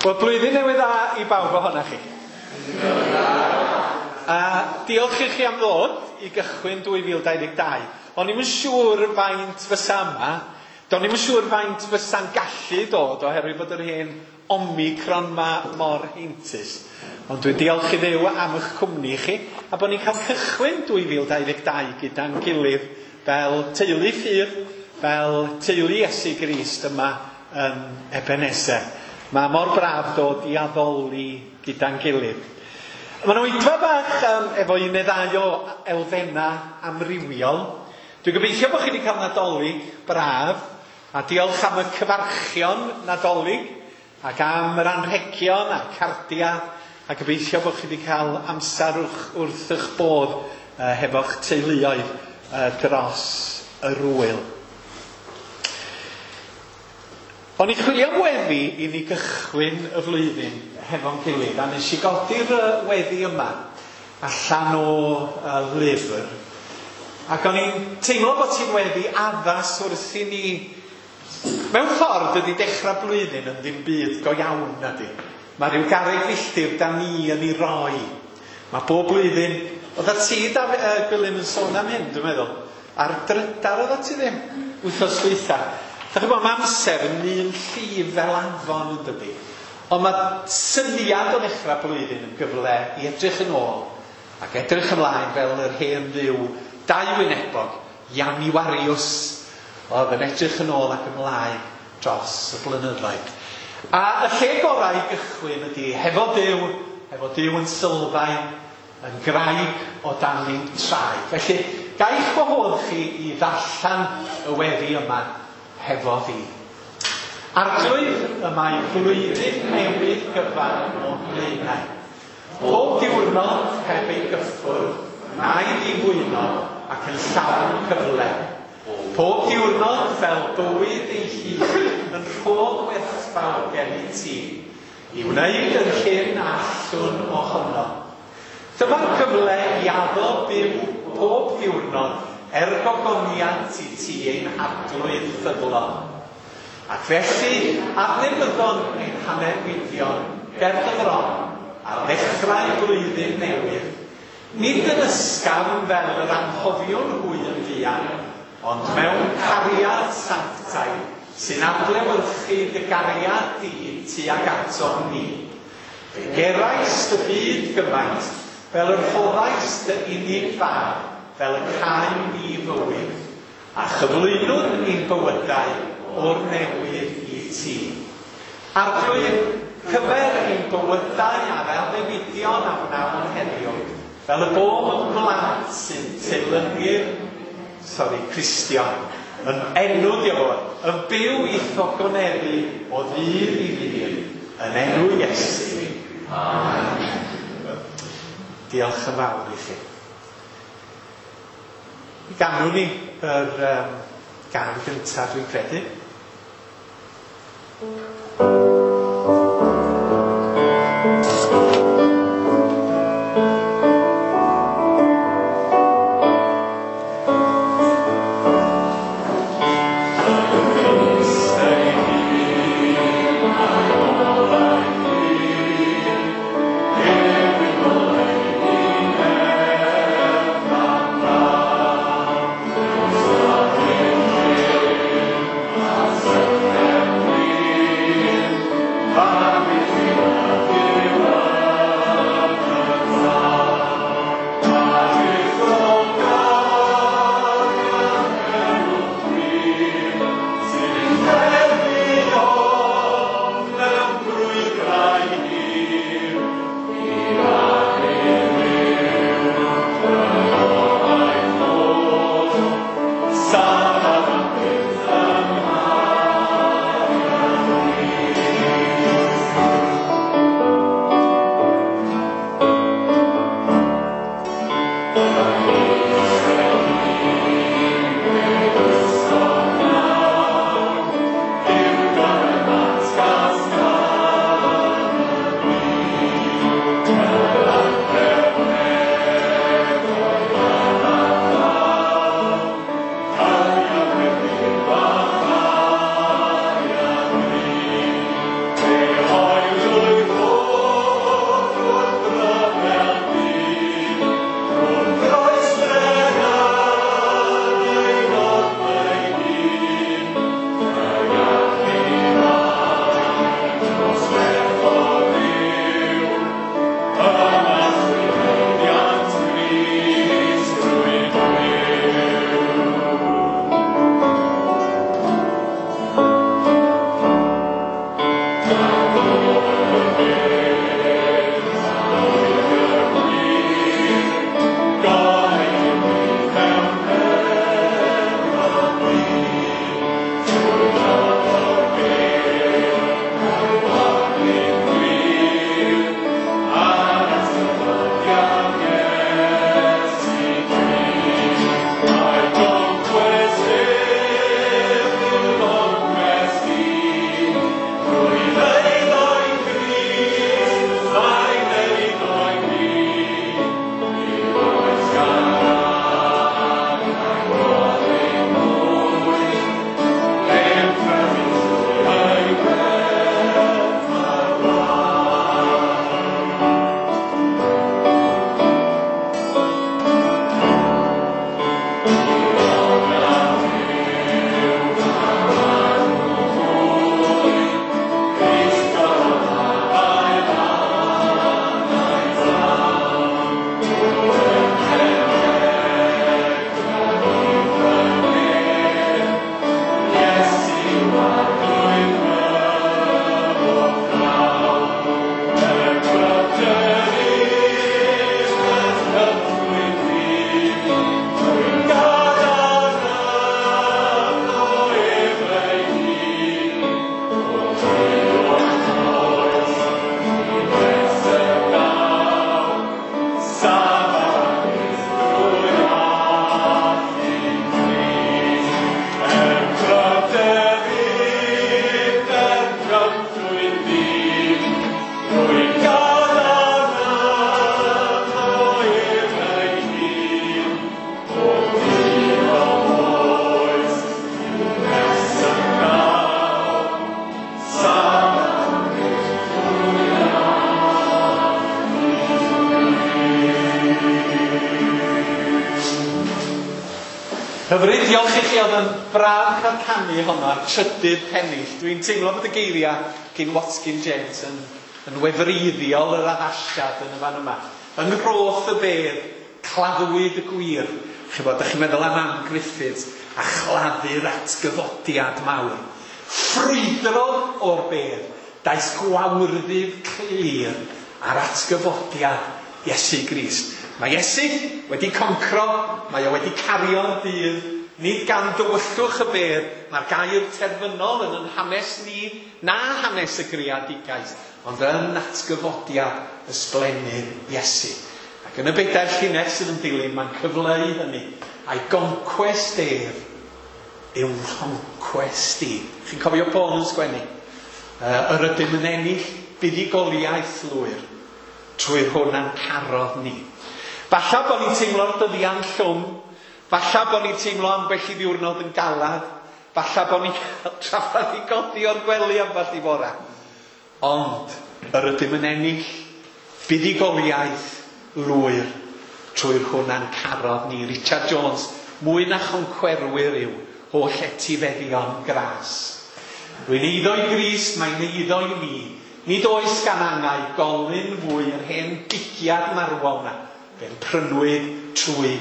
Wel, blwyddyn newydd dda i bawb ohonoch chi. A diolch i chi am ddod i gychwyn 2022. O'n i'm yn siŵr faint fysa yma. Do'n i'm yn siŵr faint fysa'n gallu dod oherwydd bod yr hen Omicron ma mor heintus. Ond dwi'n diolch i Dduw am eich cwmni chi a bod ni'n cael cychwyn 2022 gyda'n gilydd fel teulu ffydd, fel teulu Iesu Grist yma yn Ebenezer. Mae mor braf dod i addoli gyda'n gilydd. Mae'n oedfa bach efo un neu ddau o elfennau amrywiol. Dwi'n gobeithio bod chi wedi cael Nadolig braf, a diolch am y cyfarchion Nadolig, ac am yr anrhegion a'r cardiau, a gobeithio bod chi wedi cael amser wrth eich bodd hefo'ch teuluoedd dros yr wyl. O'n i'n chwilio am weddi i ni gychwyn y flwyddyn hefo'n gilydd, a nes i godi'r weddi yma allan o lyfr. Ac o'n i'n teimlo bod ti'n weddi addas wrth i ni, mewn ffordd dydy dechrau blwyddyn yn ddim byd go iawn nadi. Mae rhyw garreg filltir da ni yn ei roi. Mae bob blwyddyn, oedda ti Gwilym yn sôn am hyn dwi'n meddwl, ar drydar oedda ti ddim, wythnos dwytha. Dach chi'n gwybod, mae amser yn un llif fel afon yn dydi. Ond mae syniad o ddechrau blwyddyn yn gyfle i edrych yn ôl ac edrych ymlaen fel yr hen dduw dau wynebog, Januarius, oedd yn edrych yn ôl ac ymlaen dros y blynyddoedd. A y lle gorau i gychwyn ydy hefo Duw yn sylfaen, yn graig o dan ein traed. Felly, gaich gwahodd chi i ddarllen y weddi yma hefo fi. Arglwydd, y mae blwyddyn newydd gyfan o'n blaenau. Pob diwrnod heb ei gyffwrdd, na'i ddifwyno ac yn llawn cyfle. Pob diwrnod fel bywyd ei hun yn rhodd werthfawr gen i ti, i wneud yr hyn allwn ohono. Dyma'r cyfle i addo byw pob diwrnod er gogoniant i ti ein Arglwydd ffyddlon. Ac felly, adnewyddon ein hanewidion ger dy fron ar ddechrau blwyddyn newydd, nid yn ysgafn fel yr anghofiwn hwy yn fuan, ond mewn cariad sanctaidd sy'n adlewyrchu dy gariad di tuag atom ni. Fe gerais dy byd gymaint fel yr rhoddais dy unig fab, fel y caem ni fywyd, a chyflwynwn ein bywydau o'r newydd i ti. Arglwydd, cyfer ein bywydau a'r addewidion a wnawn heddiw, fel y bom yn blant sy'n teilynu'r, Cristion, yn enw diolch, yn byw i'th ogoneddu o ddydd i ddydd, yn enw Iesu. Amen. Diolch yn fawr i chi. Ganwn ni yr gân gyntaf dwi'n credu. Hyfryd, diolch i chi, oedd yn braf cael canu honno ar trydydd pennill. Dwi'n teimlo bod y geiriau gyn Watkin James yn wefreiddiol yr addasiad yn y fan yma. Yng nghroth y bedd, claddwyd y gwir. Chi'bod, dach chi'n meddwl am Ann Griffiths a chladdu'r atgyfodiad mawr. Ffrwydrodd o'r bedd, daeth gwawrddydd clir ar atgyfodiad Iesu Grist. Mae Iesu wedi concro, mae o wedi cario'r dydd, nid gan dywyllwch y bedd, mae'r gair terfynol yn yn hanes ni, na hanes y greadigaeth, ond yn atgyfodiad ysblennydd Iesu. Ac yn y bedair llinell sydd yn dilyn, mae'n cyfleu hynny, a'i goncwest ef yw'n concwest i. Chi'n cofio Paul yn sgwennu? Yr ydym yn ennill buddugoliaeth lwyr trwy'r hwn a'n carodd ni. Falla bod ni'n teimlo'r dyddiau'n llwm, falla bod ni'n teimlo ambell i ddiwrnod yn galad, falla bod ni'n cael trafferth i godi o'r gwely ambell i fora. Ond yr ydym yn ennill buddugoliaeth lwyr trwy'r hwn a'n carodd ni. Richard Jones, mwy na choncwerwyr yw holl etifeddion gras. Rwy'n eiddo i Grist, mae'n eiddo i mi. Nid oes gan angau golyn fwy yr hen gigiad marwol na. Fe'n prynwyd trwy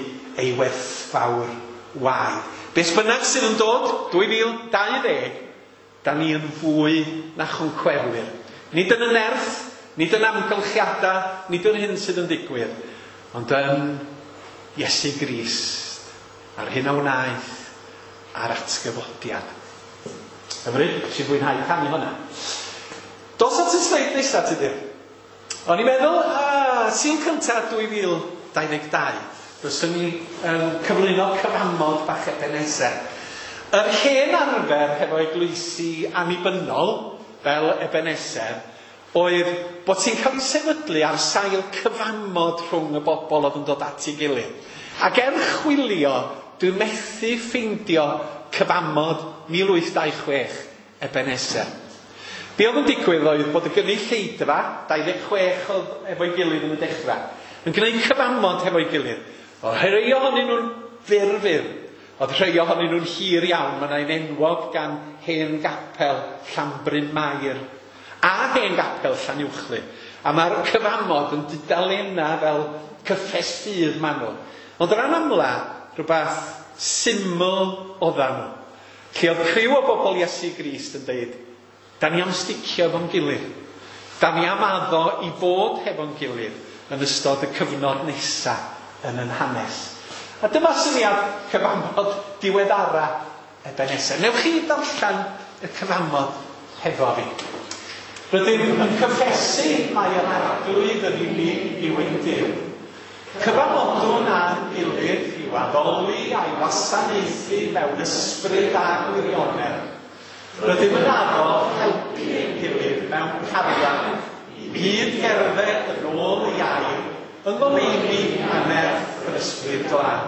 ei werthfawr waed. Beth bynnag sydd yn dod, 2020, da ni yn fwy na choncwerwyr. Nid yn y nerth, nid yn amgylchiadau, nid yn hyn sydd yn digwydd, ond yn Iesu Grist, a'r hyn a wnaeth, a'r atgyfodiad. Hyfryd, sy'n fwynhau canu hwnna. Dos at y sleid nesaf, Tudur. O'n i'n meddwl, Sul cyntaf 2022, fyswn ni cyflwyno cyfamod bach Ebenezer. Yr hen arfer hefo eglwysi annibynnol, fel Ebenezer, oedd bod ti'n cael ei sefydlu ar sail cyfamod rhwng y bobl oedd yn dod at ei gilydd. Ac er chwilio, dwi'n methu ffeindio cyfamod 1826 Ebenezer. Be oedd yn digwydd oedd bod y gynulleidfa, 26 oedd efo'i gilydd yn y dechrau, yn gwneud cyfamod hefo'i gilydd. Oedd rhai ohonyn nhw'n fyr-fyr, oedd rhai ohonyn nhw'n hir iawn. Mae yna un enwog gan hen gapel Llanbryn Mair a hen gapel Llanuwchllyn. A mae'r cyfamod yn dudalennau fel cyffes ffydd manwl. Ond ran amla, rhywbeth syml oeddan nhw. Lle oedd criw o bobl Iesu Grist yn deud, Da ni am sticio efo'n gilydd. Da ni am addo i fod hefo'n gilydd yn ystod y cyfnod nesa yn yn hanes. A dyma syniad cyfamod diweddara Ebeneser. Newch chi ddarllen y cyfamod hefo fi. Rydym yn cyffesu mai yr Arglwydd yn unig yw ein Duw. Cyfamodwn â'n gilydd i'w addoli a'i wasanaethu mewn ysbryd a gwirionedd. Rydym yn addo helpu ein gilydd mewn cariad i gyd gerdded yn ôl ei air yng ngoleuni a nerth yr Ysbryd Glân,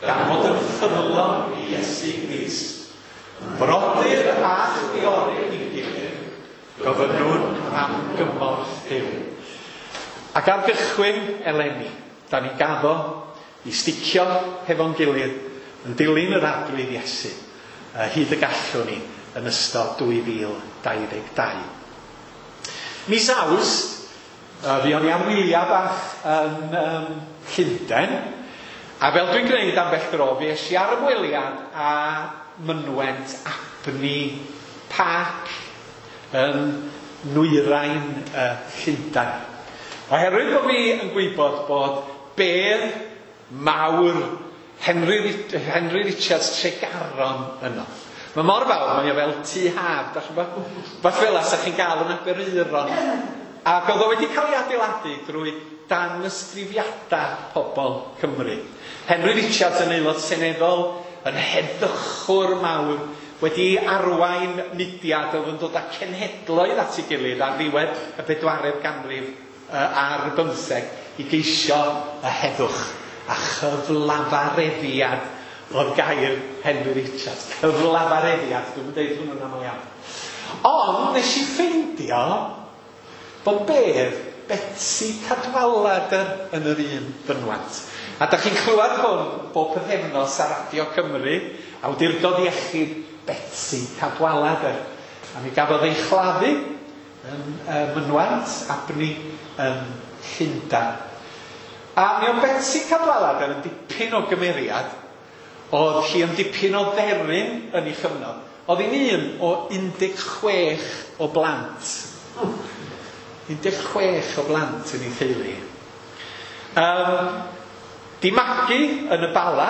gan fod yn ffyddlon i Iesu Grist. Brodyr a chwiorydd i'n gilydd, gofynnwn am gymorth Duw. Ac ar gychwyn eleni, da ni'n gaddo i sticio hefo'n gilydd yn dilyn yr Arglwydd Iesu hyd y gallwn ni yn ystod 2022. Mis Awst, fuon ni am wyliau bach yn Llundain, a fel dwi'n gwneud ambell dro, fi es i ar ymweliad â mynwent Abney Park yn nwyrain Llundain. Oherwydd bod fi yn gwybod bod bedd mawr Henry Richards Tregaron yno. Mae mor fawr, mae o fel tŷ haf, dach chi'n gwybod? Fath fel 'sa chi'n gael yn Aberaeron. Ac oedd o wedi cael ei adeiladu drwy danysgrifiadau pobl Cymru. Henry Richards yn aelod seneddol, yn heddychwr mawr, wedi arwain mudiad oedd yn dod â cenhedloedd at ei gilydd ar ddiwedd y bedwaredd ganrif ar bymtheg i geisio y heddwch a chyflafareddiad oedd gair Henry Richards. Cyflafareddiad, dwi'm yn deud hwnnw'n aml iawn. Ond nes i ffeindio bod bedd Betsi Cadwaladr yn yr un fynwent. A da chi'n clywed hwn bob pythefnos ar Radio Cymru, Awdurdod Iechyd Betsi Cadwaladr. A mi gafodd ei chladdu yn mynwent Abney yn Llundain. A mi oedd Betsi Cadwaladr yn dipyn o gymeriad. Oedd hi yn dipyn o dderyn yn ei chyfnod. Oedd hi'n un o 16 o blant. 16 o blant yn ei theulu. Di magu yn y Bala,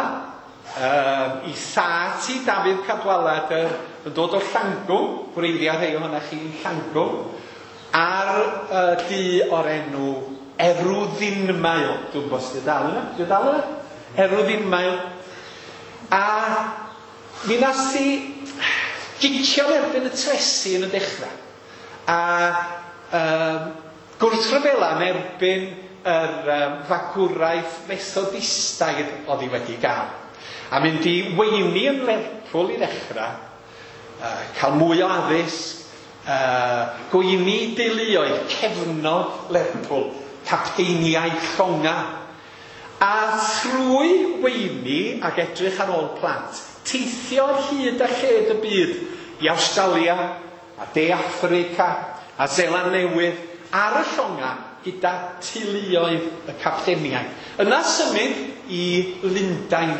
i thad hi Dafydd Cadwaladr yn dod o Llangwm, gwreiddiau rhai ohonoch chi'n Llangwm, ar dŷ o'r enw Erwddinmael. Dwi'n gwybod os 'di o dal yna? 'Di o dal yna? Erwddinmael. A mi nath hi gicio yn erbyn y tresi yn y dechrau. A gwrthryfela yn erbyn yr fagwraeth Methodistaidd oedd hi wedi gael. A mynd i weini yn Lerpwl i ddechrau, cael mwy o addysg, gweini deuluoedd cefnog Lerpwl, capteiniaid llonga. A thrwy weini ac edrych ar ôl plant, teithio ar hyd a lled y byd i Awstralia a De Affrica a Seland Newydd ar y llonga gyda teuluoedd y capteniaid. Yna symud i Lundain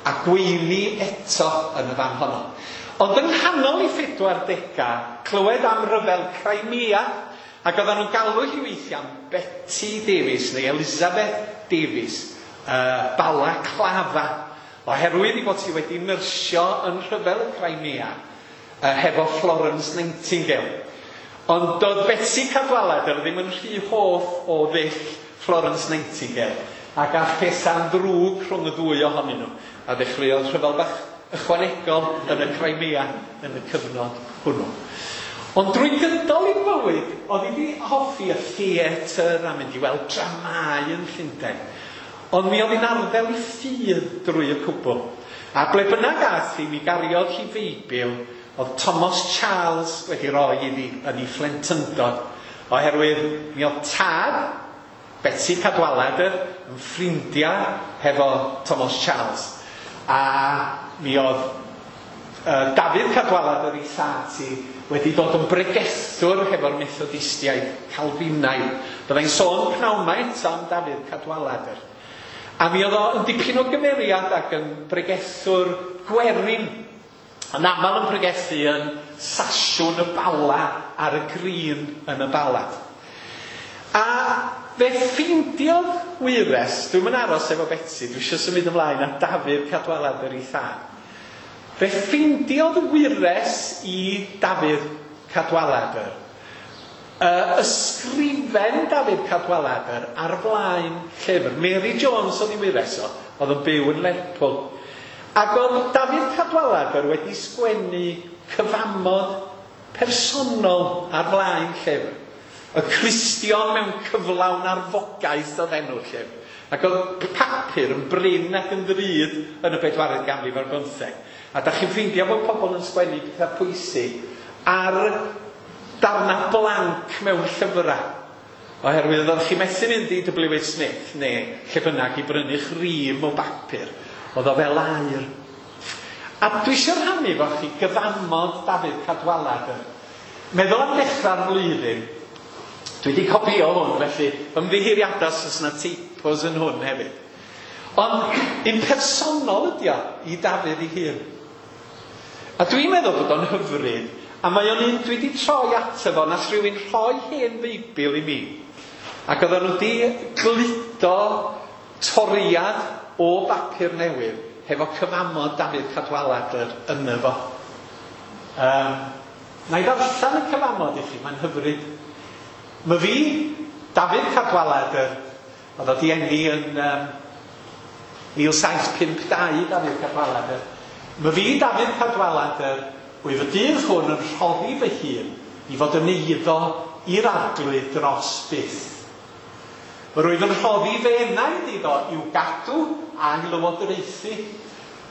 a gweini eto yn y fan honno. Ond yng nghanol ei 40au, clywed am ryfel Crimea, ac oedden nhw'n galw hi weithiau am Betty Davies neu Elizabeth Davies, Balaclava, oherwydd ei bod hi wedi nyrsio yn rhyfel y Crimea hefo Florence Nightingale. Ond doedd Betsi Cadwaladr ddim yn rhy hoff o ddull Florence Nightingale, ac aeth pethau'n ddrwg rhwng y ddwy ohonyn nhw, a ddechreuodd rhyfel bach ychwanegol yn y Crimea yn y cyfnod hwnnw. Ond drwy gydol ei bywyd, oedd hi wedi hoffi y theatr a mynd i weld dramâu yn Llundain. Ond mi oedd hi'n arddel ei ffydd drwy y cwbl. A ble bynnag aeth hi, mi gariodd hi Feibl oedd Thomas Charles wedi rhoi iddi yn ei phlentyndod, oherwydd mi oedd tad Betsi Cadwaladr yn ffrindiau hefo Thomas Charles. A mi oedd Dafydd Cadwaladr ei thad hi wedi dod yn bregethwr hefo'r Methodistiaid Calfinaidd. Byddai'n sôn pnawn 'ma eto am Dafydd Cadwaladr. A mi oedd o yn dipyn o gymeriad ac yn bregethwr gwerin. Yn aml yn pregethu yn Sasiwn y Bala ar y Green yn y Bala. A fe ffeindiodd wyres, dwi'm yn aros efo Betsi, dwi eisiau symud ymlaen at Dafydd Cadwaladr ei thad. Fe ffeindiodd wyres i Dafydd Cadwaladr ysgrifen Dafydd Cadwaladr ar flaen llyfr. Mary Jones oedd ei wyres o, oedd yn byw yn Lerpwl. Ac oedd Dafydd Cadwaladr wedi sgwennu cyfamod personol ar flaen llyfr. Y Cristion mewn cyflawn arfogaeth oedd enw'r llyfr. Ac oedd papur yn brin ac yn ddrud yn y bedwaredd ganrif ar bymtheg. A da chi'n ffeindio bod pobl yn sgwennu pethau pwysig ar darna blanc mewn llyfrau. Oherwydd oeddech chi methu mynd i W.H. Smith neu lle bynnag i brynu'ch rîm o bapur. Oedd o fel aur. A dwi eisiau rhannu efo chi gyfamod Dafydd Cadwaladr. Meddwl am ddechrau'r flwyddyn. Dwi wedi copio hwn, felly ymddiheuriadau os oes yna typos yn hwn hefyd. Ond un personol ydi o i Dafydd ei hun. A dwi'n meddwl bod o'n hyfryd, a mae o'n un dwi wedi troi ato fo, nath rhywun rhoi hen Feibl i mi. Ac oedden nhw wedi gludo toriad o bapur newydd hefo cyfamod Dafydd Cadwaladr yno fo. Na i ddarllen y cyfamod i chi, mae'n hyfryd. Mae fi, Dafydd Cadwaladr, oedd o di eni yn 1752, Dafydd Cadwaladr. Mae fi, Dafydd Cadwaladr, wyf y dydd hwn yn rhoddi fy hun i fod yn eiddo i'r Arglwydd dros byth. Rwyf yn rhoddi fy enaid iddo i'w gadw a'i lywodraethu.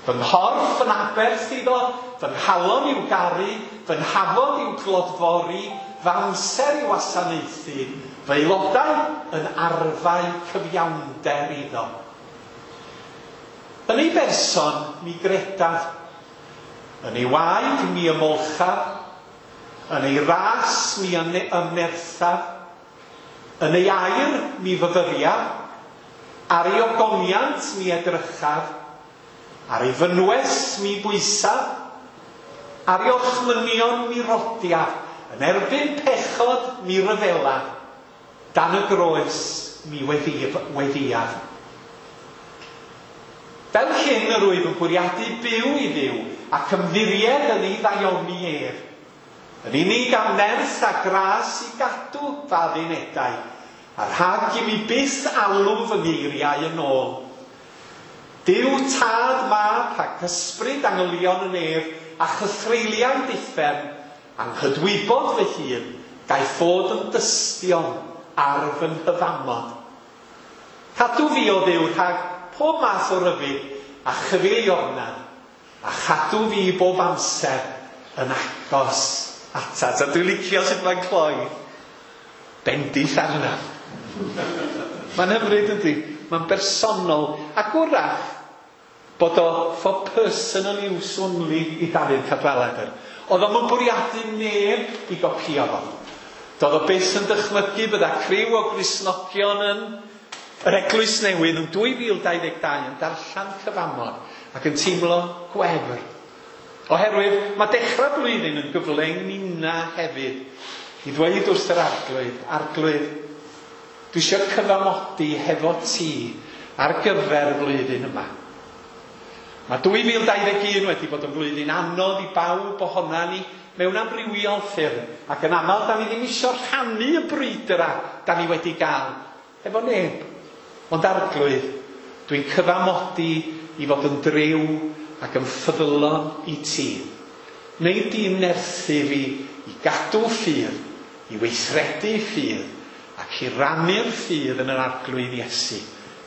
Fy nghorff yn aberth iddo, fy nghalon i'w garu, fy nhafod i'w glodfori, fy amser i'w wasanaethu, fy aelodau yn arfau cyfiawnder iddo. Yn ei berson mi gredaf, yn ei waed mi ymolchaf, yn ei ras mi ymnerthaf, yn ei air mi fyfyriaf, ar ei ogoniant mi edrychaf, ar ei fynwes mi bwysaf, ar ei orchmynion mi rodiaf, yn erbyn pechod mi ryfelaf, dan y groes mi weddiaf. Fel hyn yr wyf yn bwriadu byw i Dduw ac ymddiried yn ei ddaioni ef. Yn unig am nerth a gras i gadw fy addunedau, a rhag i mi byth alw fy ngeiriau yn ôl. Duw Tad, Mab ac Ysbryd angylion y nef a chythreuliaid uffern, anghydwybod fy hun, gaiff fod yn dystion ar fy nghyfamod. Cadw fi o Dduw rhag pob math o ryfydd a chyfeiliornad, a chadw fi bob amser yn agos atat. A dwi'n licio sut mae'n cloi. Bendith arna. Mae'n hyfryd yndi? Mae'n bersonol. Ac wrach bod o for personal use only i Dafydd Cadwaladr. Oedd o'm yn bwriadu neb i gopio fo. Doedd o byth yn dychmygu bydda criw o Gristnogion yn yr Eglwys Newydd yn 2022 yn darllen cyfamod ac yn teimlo gwefr. Oherwydd mae dechrau blwyddyn yn gyfle i ninna hefyd i ddweud wrth yr Arglwydd, Arglwydd, dwi eisiau cyfamodi hefo ti ar gyfer y flwyddyn yma. Mae 2021 wedi bod yn flwyddyn anodd i bawb ohona ni mewn amrywiol ffyrdd, ac yn aml da ni ddim eisiau rhannu y brwydrau da ni wedi gael efo neb. Ond Arglwydd, dwi'n cyfamodi i fod yn driw ac yn ffyddlon i ti. Neu di'n nerthu fi i gadw ffydd, i weithredu ffydd, ac i rannu'r ffydd yn yr Arglwydd Iesu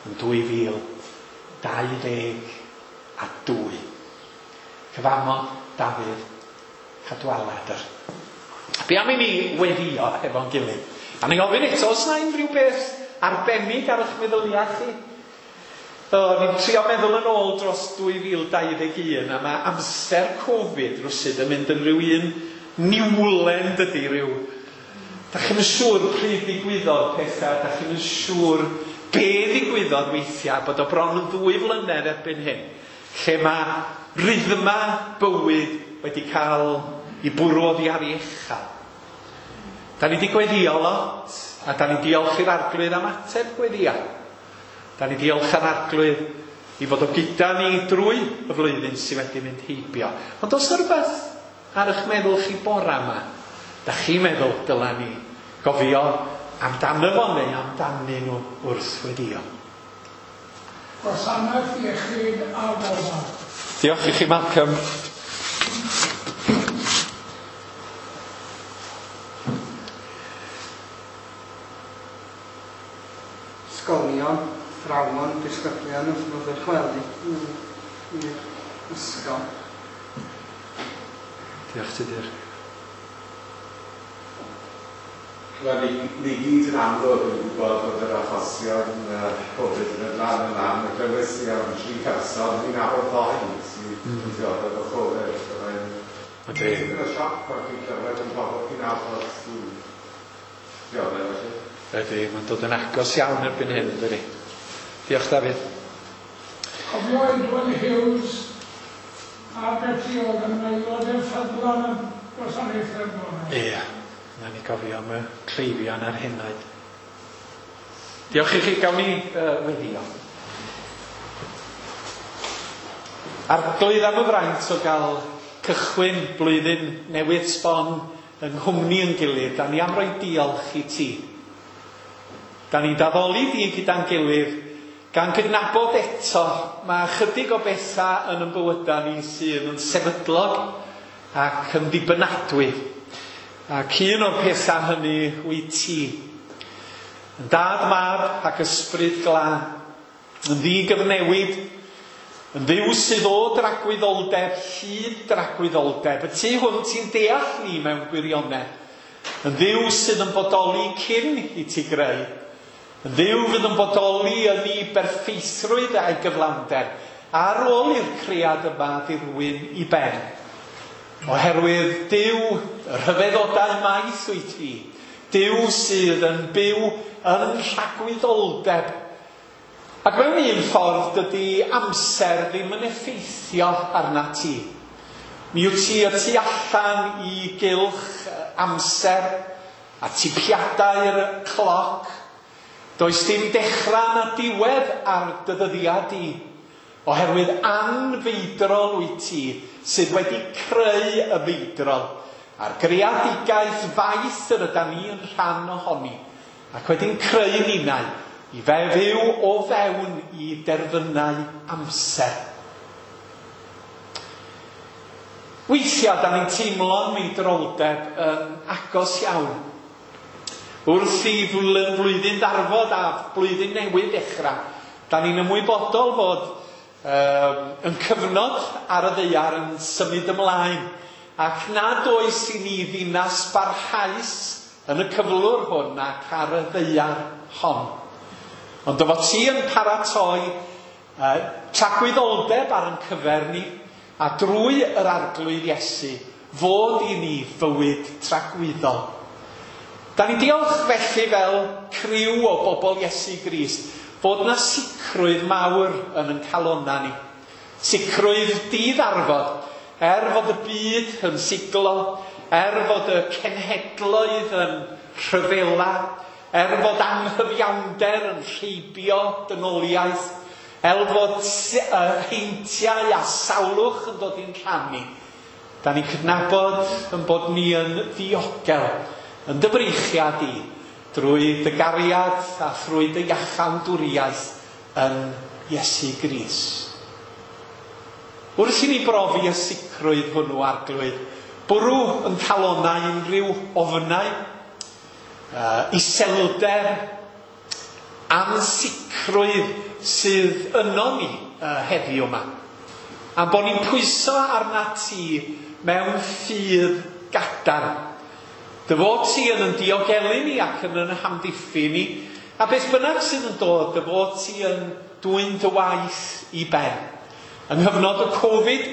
yn 2022. Cyfamod Dafydd Cadwaladr. Be am i ni weddio efo'n gilydd? A ni ofyn eto, oes na unrhyw beth arbennig ar eich meddyliau chi? Ni'n trio meddwl yn ôl dros 2021, a mae amser Covid rwsyd yn mynd yn rhyw un niwlen dydy rhyw. Da chi'm yn siŵr pryd ddigwyddodd pethau, da chi'm yn siŵr be ddigwyddodd weithiau, bod o bron yn 2 flynedd erbyn hyn, lle mae rhythma bywyd wedi cael i bwrw oddi ar ei echal. Da ni wedi gweddio lot, a da ni'n diolch i'r Arglwydd am ateb gweddia. Da ni diolch ar Arglwydd i fod o gyda ni drwy y flwyddyn sydd wedi mynd heibio. Ond oes yna rhywbeth ar eich meddwl chi bora yma? Da chi'n meddwl dyla ni gofio amdano fo neu amdanyn nhw wrth weddio? Gwasanaeth Iechyd a Gofal. Diolch i chi, Malcolm. Ysgolion, athrawon, disgyblion wrth nhw ddychwelyd i'r ysgol. Diolch Tudur. Wel, ni gyd yn amlwg yn gwybod bod yr achosion Covid yn mynd lan yn lan, a glywes i am 3 person, ni'n nabod 2 sydd yn dioddef o Covid. So mae'n tipyn o sioc pan chi'n clywed am bobl chi'n nabod sy'n dioddef felly. Ydy, mae'n dod yn agos iawn erbyn hyn, dydy. Diolch, Dafydd. Cofio Edward Hughes a Betty oedd yn aelod ffyddlon y gwasanaethau bore. Ie, na ni gofio am y cleifion a'r henoed. Diolch i chi, gawn ni weddio. Arglwydd am y fraint o gael cychwyn blwyddyn newydd sbon yng nghwmni yn gilydd, da ni am roi diolch i ti. Da ni'n daddoli di gyda'n gilydd, gan gydnabod eto, mae ychydig o bethau yn ein bywydau ni sydd yn sefydlog ac yn ddibynadwy. Ac un o'r pethau hynny wyt ti. Yn dad, mab ac ysbryd glân, yn ddigyfnewid, yn ddiw sydd o dragwyddoldeb, hyd dragwyddoldeb. Y tu hwnt ti'n deall ni mewn gwirionedd. Yn ddiw sydd yn bodoli cyn i ti greu. Yn ddiw fydd yn bodoli yn ei berffeithrwydd a'i gyflawnder ar ôl i'r cread yma ddirwyn i ben. Oherwydd Duw, y rhyfeddodau maith wyt ti, Duw sydd yn byw yn rhagwyddoldeb. Ac mewn un ffordd dydy amser ddim yn effeithio arna ti. Mi wyt ti y tu allan i gylch amser a tipiadau'r cloc. Does dim dechrau na diwedd ar dy ddyddiad di, oherwydd anfeidrol wyt ti sydd wedi creu y feidrol a'r greadigaeth faith yr ydan ni yn rhan ohoni, ac wedi'n creu ninnau i fyw o fewn i derfynau amser. Weithiau, da ni'n teimlo'n meidroldeb yn agos iawn. Wrth i flwyddyn ddarfod a blwyddyn newydd dechrau, da ni'n ymwybodol fod yn cyfnod ar y ddaear yn symud ymlaen, ac nad oes i ni ddinas barhaus yn y cyflwr hwn ac ar y ddaear hon. Ond dy fod ti yn paratoi tragwyddoldeb ar ein cyfer ni, a drwy yr Arglwydd Iesu, fod i ni fywyd tragwyddol. Da ni'n diolch felly fel criw o bobl Iesu Grist fod na sicrwydd mawr yn ein calonna ni. Sicrwydd diddarfod, fod y byd yn siglo, fod y cenhedloedd yn rhyfela, fod anghyfiawnder yn rheibio dynoliaeth, fod heintiau a sawlwch yn dod i'n rhan ni. Da ni'n cydnabod yn bod ni yn ddiogel, yn dy freichiad i, drwy dy gariad a thrwy dy iachawdwriaeth yn Iesu Grist. Wrth i ni brofi y sicrwydd hwnnw, Arglwydd, bwrw yn calonnau unrhyw ofnau, iselder, ansicrwydd sydd yno ni heddiw yma. A bod ni'n pwyso arna ti mewn ffydd gadarn. Dy fod ti yn yn diogelu ni ac yn yn hamddiffyn ni, a beth bynnag sydd yn dod, dy fod ti yn dwyn dy waith i ben. Yng nghyfnod y Covid,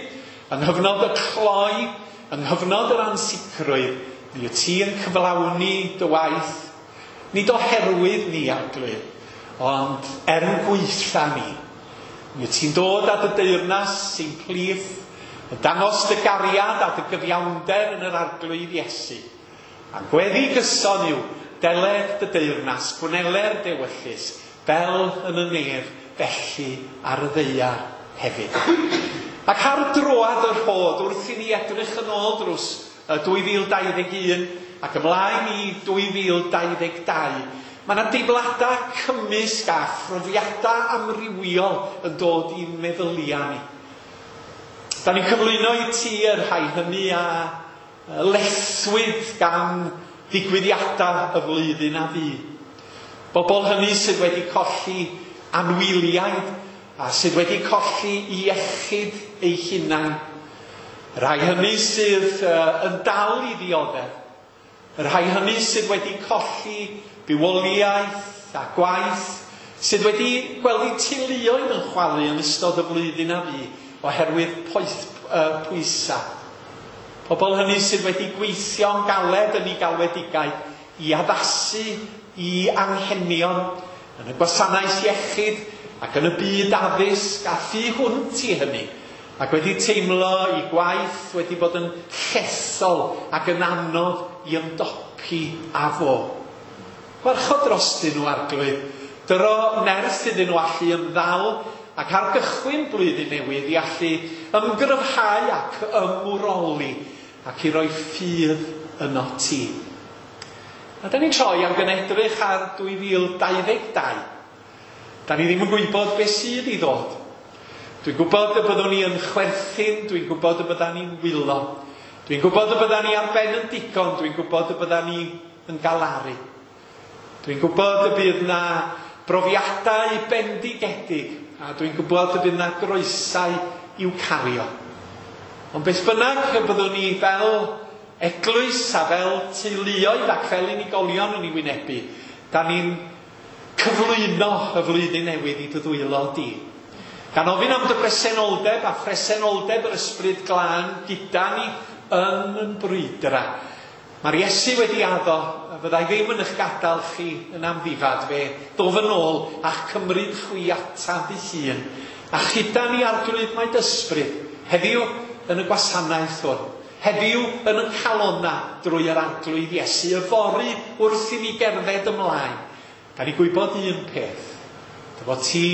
yng nghyfnod y cloi, yng nghyfnod yr ansicrwydd, mi wyt ti yn cyflawni dy waith, nid oherwydd ni, Arglwydd, ond er yn gweitha ni. Mi wyt ti'n dod â dy deyrnas sy'n plith, Yn dangos dy gariad a dy gyfiawnder yn yr Arglwydd Iesu. A gweddi gyson yw deled dy deyrnas, gwneler d'ewyllys, fel yn y nef, felly ar y ddaear hefyd. Ac ar droad y rhod, wrth i ni edrych yn ôl dros 2021 ac ymlaen i 2022, mae yna deimladau cymysg a phrofiadau amrywiol yn dod i'n meddyliau ni. Da ni'n cyflwyno i ti y rhai hynny a lethwyd gan ddigwyddiadau y flwyddyn a fu. Bobl hynny sydd wedi colli anwyliaid a sydd wedi colli iechyd eu hunain. Y rhai hynny sydd yn dal i ddioddef. Y rhai hynny sydd wedi colli bywoliaeth a gwaith, sydd wedi gweld eu teuluoedd yn chwalu yn ystod y flwyddyn a fu oherwydd pwysau. Pobl hynny sydd wedi gweithio'n galed yn eu galwedigaeth i addasu i anghenion yn y gwasanaeth iechyd ac yn y byd addysg a thu hwnt i hynny, ac wedi teimlo i gwaith wedi bod yn llethol ac yn anodd i ymdopi â fo. Gwarchod drostyn nhw, Arglwydd, dyro nerth iddyn nhw allu ymddal ac ar gychwyn blwyddyn newydd i allu ymgryfhau ac ymwroli ac i roi ffydd yno ti. A da ni'n troi ac yn edrych ar 2022. Da ni ddim yn gwybod beth sydd i ddod. Dwi'n gwybod y byddwn ni yn chwerthin, dwi'n gwybod y byddan ni'n wylo. Dwi'n gwybod y byddan ni ar ben yn digon, dwi'n gwybod y byddan ni yn galaru. Dwi'n gwybod y bydd na brofiadau bendigedig, a dwi'n gwybod y bydd na groesau i'w cario. Ond beth bynnag y byddwn ni fel eglwys a fel teuluoedd ac fel unigolion yn ei wynebu, da ni'n cyflwyno y flwyddyn newydd i dy ddwylo di. Gan ofyn am dy bresenoldeb a phresenoldeb yr Ysbryd Glân gyda ni yn yn brwydra. Mae'r Iesu wedi addo, fyddai ddim yn eich gadael chi yn amddifad, fe ddof yn ôl a'ch cymryd chwi ataf ei hun. A chyda ni Arglwydd mae dy ysbryd, heddiw yn y gwasanaeth hwn, heddiw yn y calona drwy yr Arglwydd Iesu, yfory wrth i ni gerdded ymlaen. Da ni gwybod un peth, dy fod ti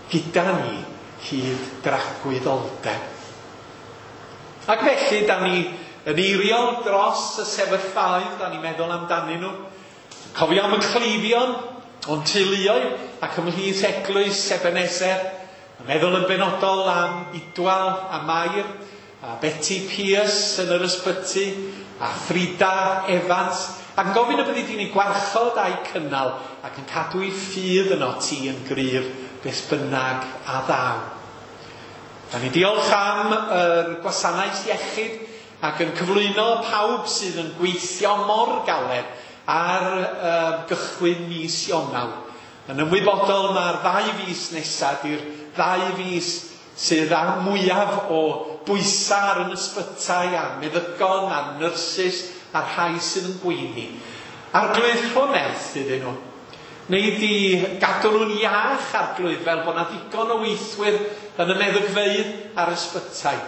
gyda ni hyd dragwyddoldeb. Ac felly, da ni yn eiriol dros y sefyllfaoedd, da ni'n meddwl amdanyn nhw. Cofio am y cleifion, o'n teuluoedd ac ymhlith eglwys Ebenezer. Yn meddwl yn benodol am Idwal a Mair, a Betty Pierce yn yr ysbyty, a Frida Evans, ac yn gofyn y byddi di'n ei gwarchod a'i cynnal ac yn cadw ei ffydd yno ti yn gryf beth bynnag a ddaw. Da ni diolch am yr gwasanaeth iechyd ac yn cyflwyno pawb sydd yn gweithio mor galed ar gychwyn mis Ionawr. Yn ymwybodol mae'r 2 fis nesaf di'r 2 fis sydd â mwyaf o bwysau ar yn ysbytai a meddygon a nyrsys a'r rhai sydd yn gweini. Arglwydd, rho nerth iddyn nhw. Neu di gadw nhw'n iach, Arglwydd, fel bod na ddigon o weithwyr yn y meddygfeydd a'r ysbytai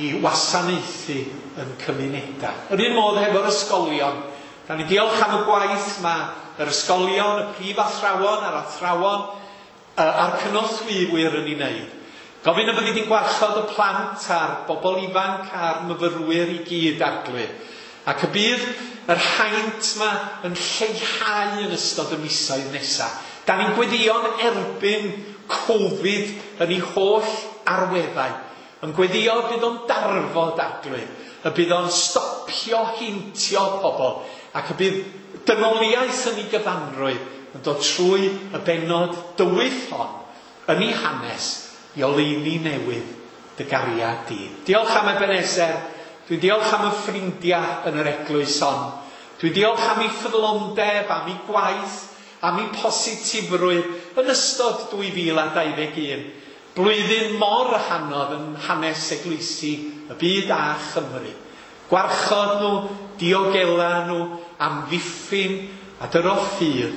i wasanaethu yn cymunedau. Yr un modd hefo'r ysgolion. Da ni diolch am y gwaith mae yr ysgolion, y prif athrawon a'r athrawon a'r cynorthwywyr yn ei wneud. Gofyn y byddi di'n gwarchod y plant a'r bobl ifanc a'r myfyrwyr i gyd, Arglwydd. Ac y bydd yr haint yma yn lleihau yn ystod y misoedd nesaf. Da ni'n gweddïo'n erbyn Covid yn ei holl arweddau. Yn gweddio bydd o'n darfod, Arglwydd, y bydd o'n stopio heintio pobl, ac y bydd dynoliaeth yn ei gyfanrwydd yn dod trwy y bennod dywyll hon yn ei hanes i oleuni newydd dy gariad di. Diolch am Ebenezer, dwi'n diolch am y ffrindiau yn yr eglwys hon. Dwi'n diolch am ei ffyddlondeb, am ei gwaith, am ei positifrwydd yn ystod 2021. Blwyddyn mor anodd yn hanes eglwysi y byd a Chymru. Gwarchod nhw, diogela nhw, amddiffyn a dyro ffydd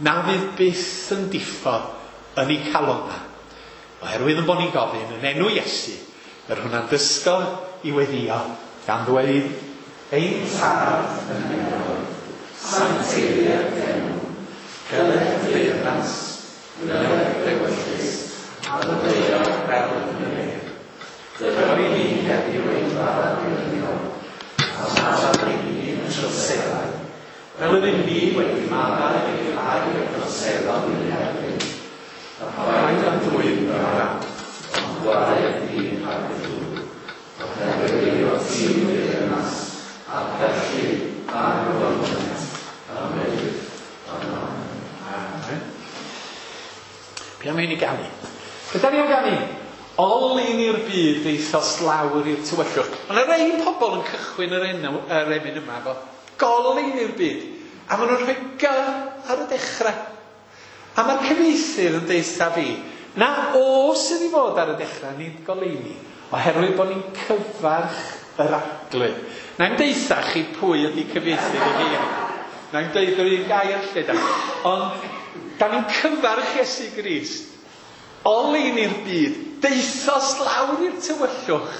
na fydd byth yn diffodd yn eu calonnau. Oherwydd yn bod ni'n gofyn yn enw Iesu, yr hwnna'n dysgodd i weddïo, gan ddweud, Ein Tad yn y nefoedd, sancteiddier d'enw, geled dy deyrnas, gwneled d'ewyllys, ar y ddaear fel yn y nef. Dyro i ni heddiw ein bara dyddiol, a maddau i ni ein troseddau, fel yr ŷm ni wedi maddau i'r rhai a droseddodd i'n herbyn. A phaid â'n dwyn i'r wrath, ond gwared ni rhag y drwg. Oherwydd eiddo ti yw'r deyrnas, a'r gallu, a'r gofyniant, am byth. Amen. Amen. Be am i ni ganu? Be da ni am ganu? Oleuni'r byd ddaethost lawr i'r tywyllwch. Mae yna rei pobl yn cychwyn yr enw, yr emyn yma efo goleuni'r byd. A maen nhw'n rhoi G ar y dechrau. A mae'r cyfieithydd yn deutha fi, na O sydd i fod ar y dechrau, nid goleuni, oherwydd bod ni'n cyfarch yr Arglwydd. Na i'm deutha chi pwy ydy cyfieithydd y geiriau. Na i'm deud yr un gair lle da. Ond da ni'n cyfarch Iesu Grist. Oleuni'r byd, daethost lawr i'r tywyllwch,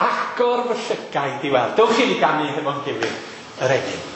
agor fy llygaid i weld. Dewch i ni ganu hefo'n gilydd yr emyn.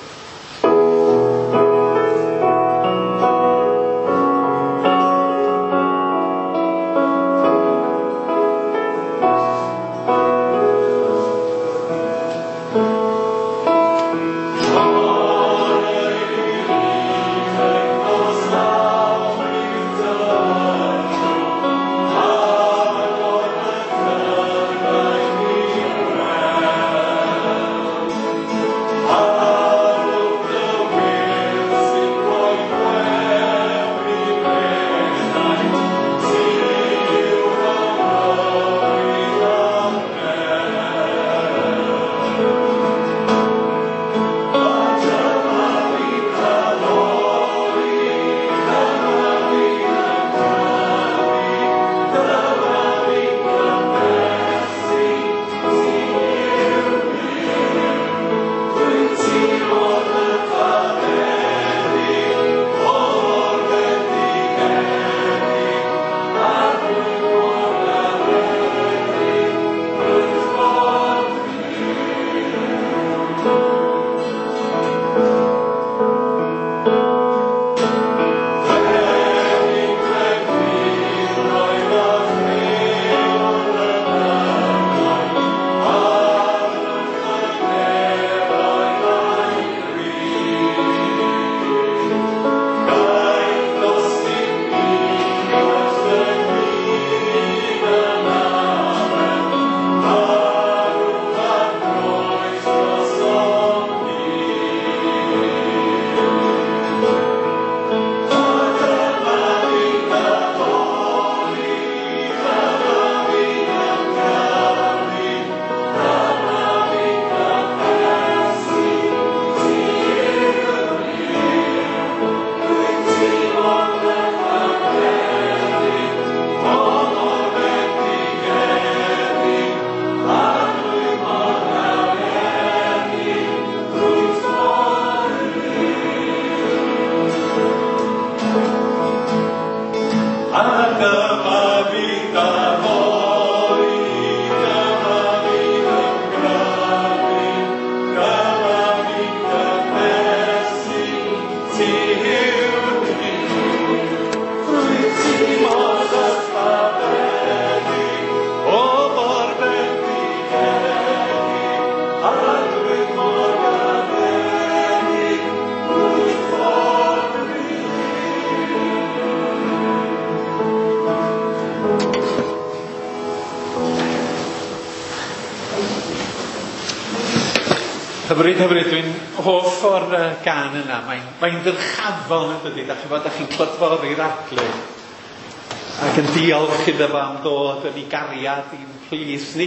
Hyfryd, hyfryd. Dwi'n hoff o'r gân yna. Mae'n ddyrchafol yn dydy. Da chi'n bod, da chi'n clodfori'r Arglwydd. Ac yn diolch iddo fo am ddod yn ei gariad i'n plith ni.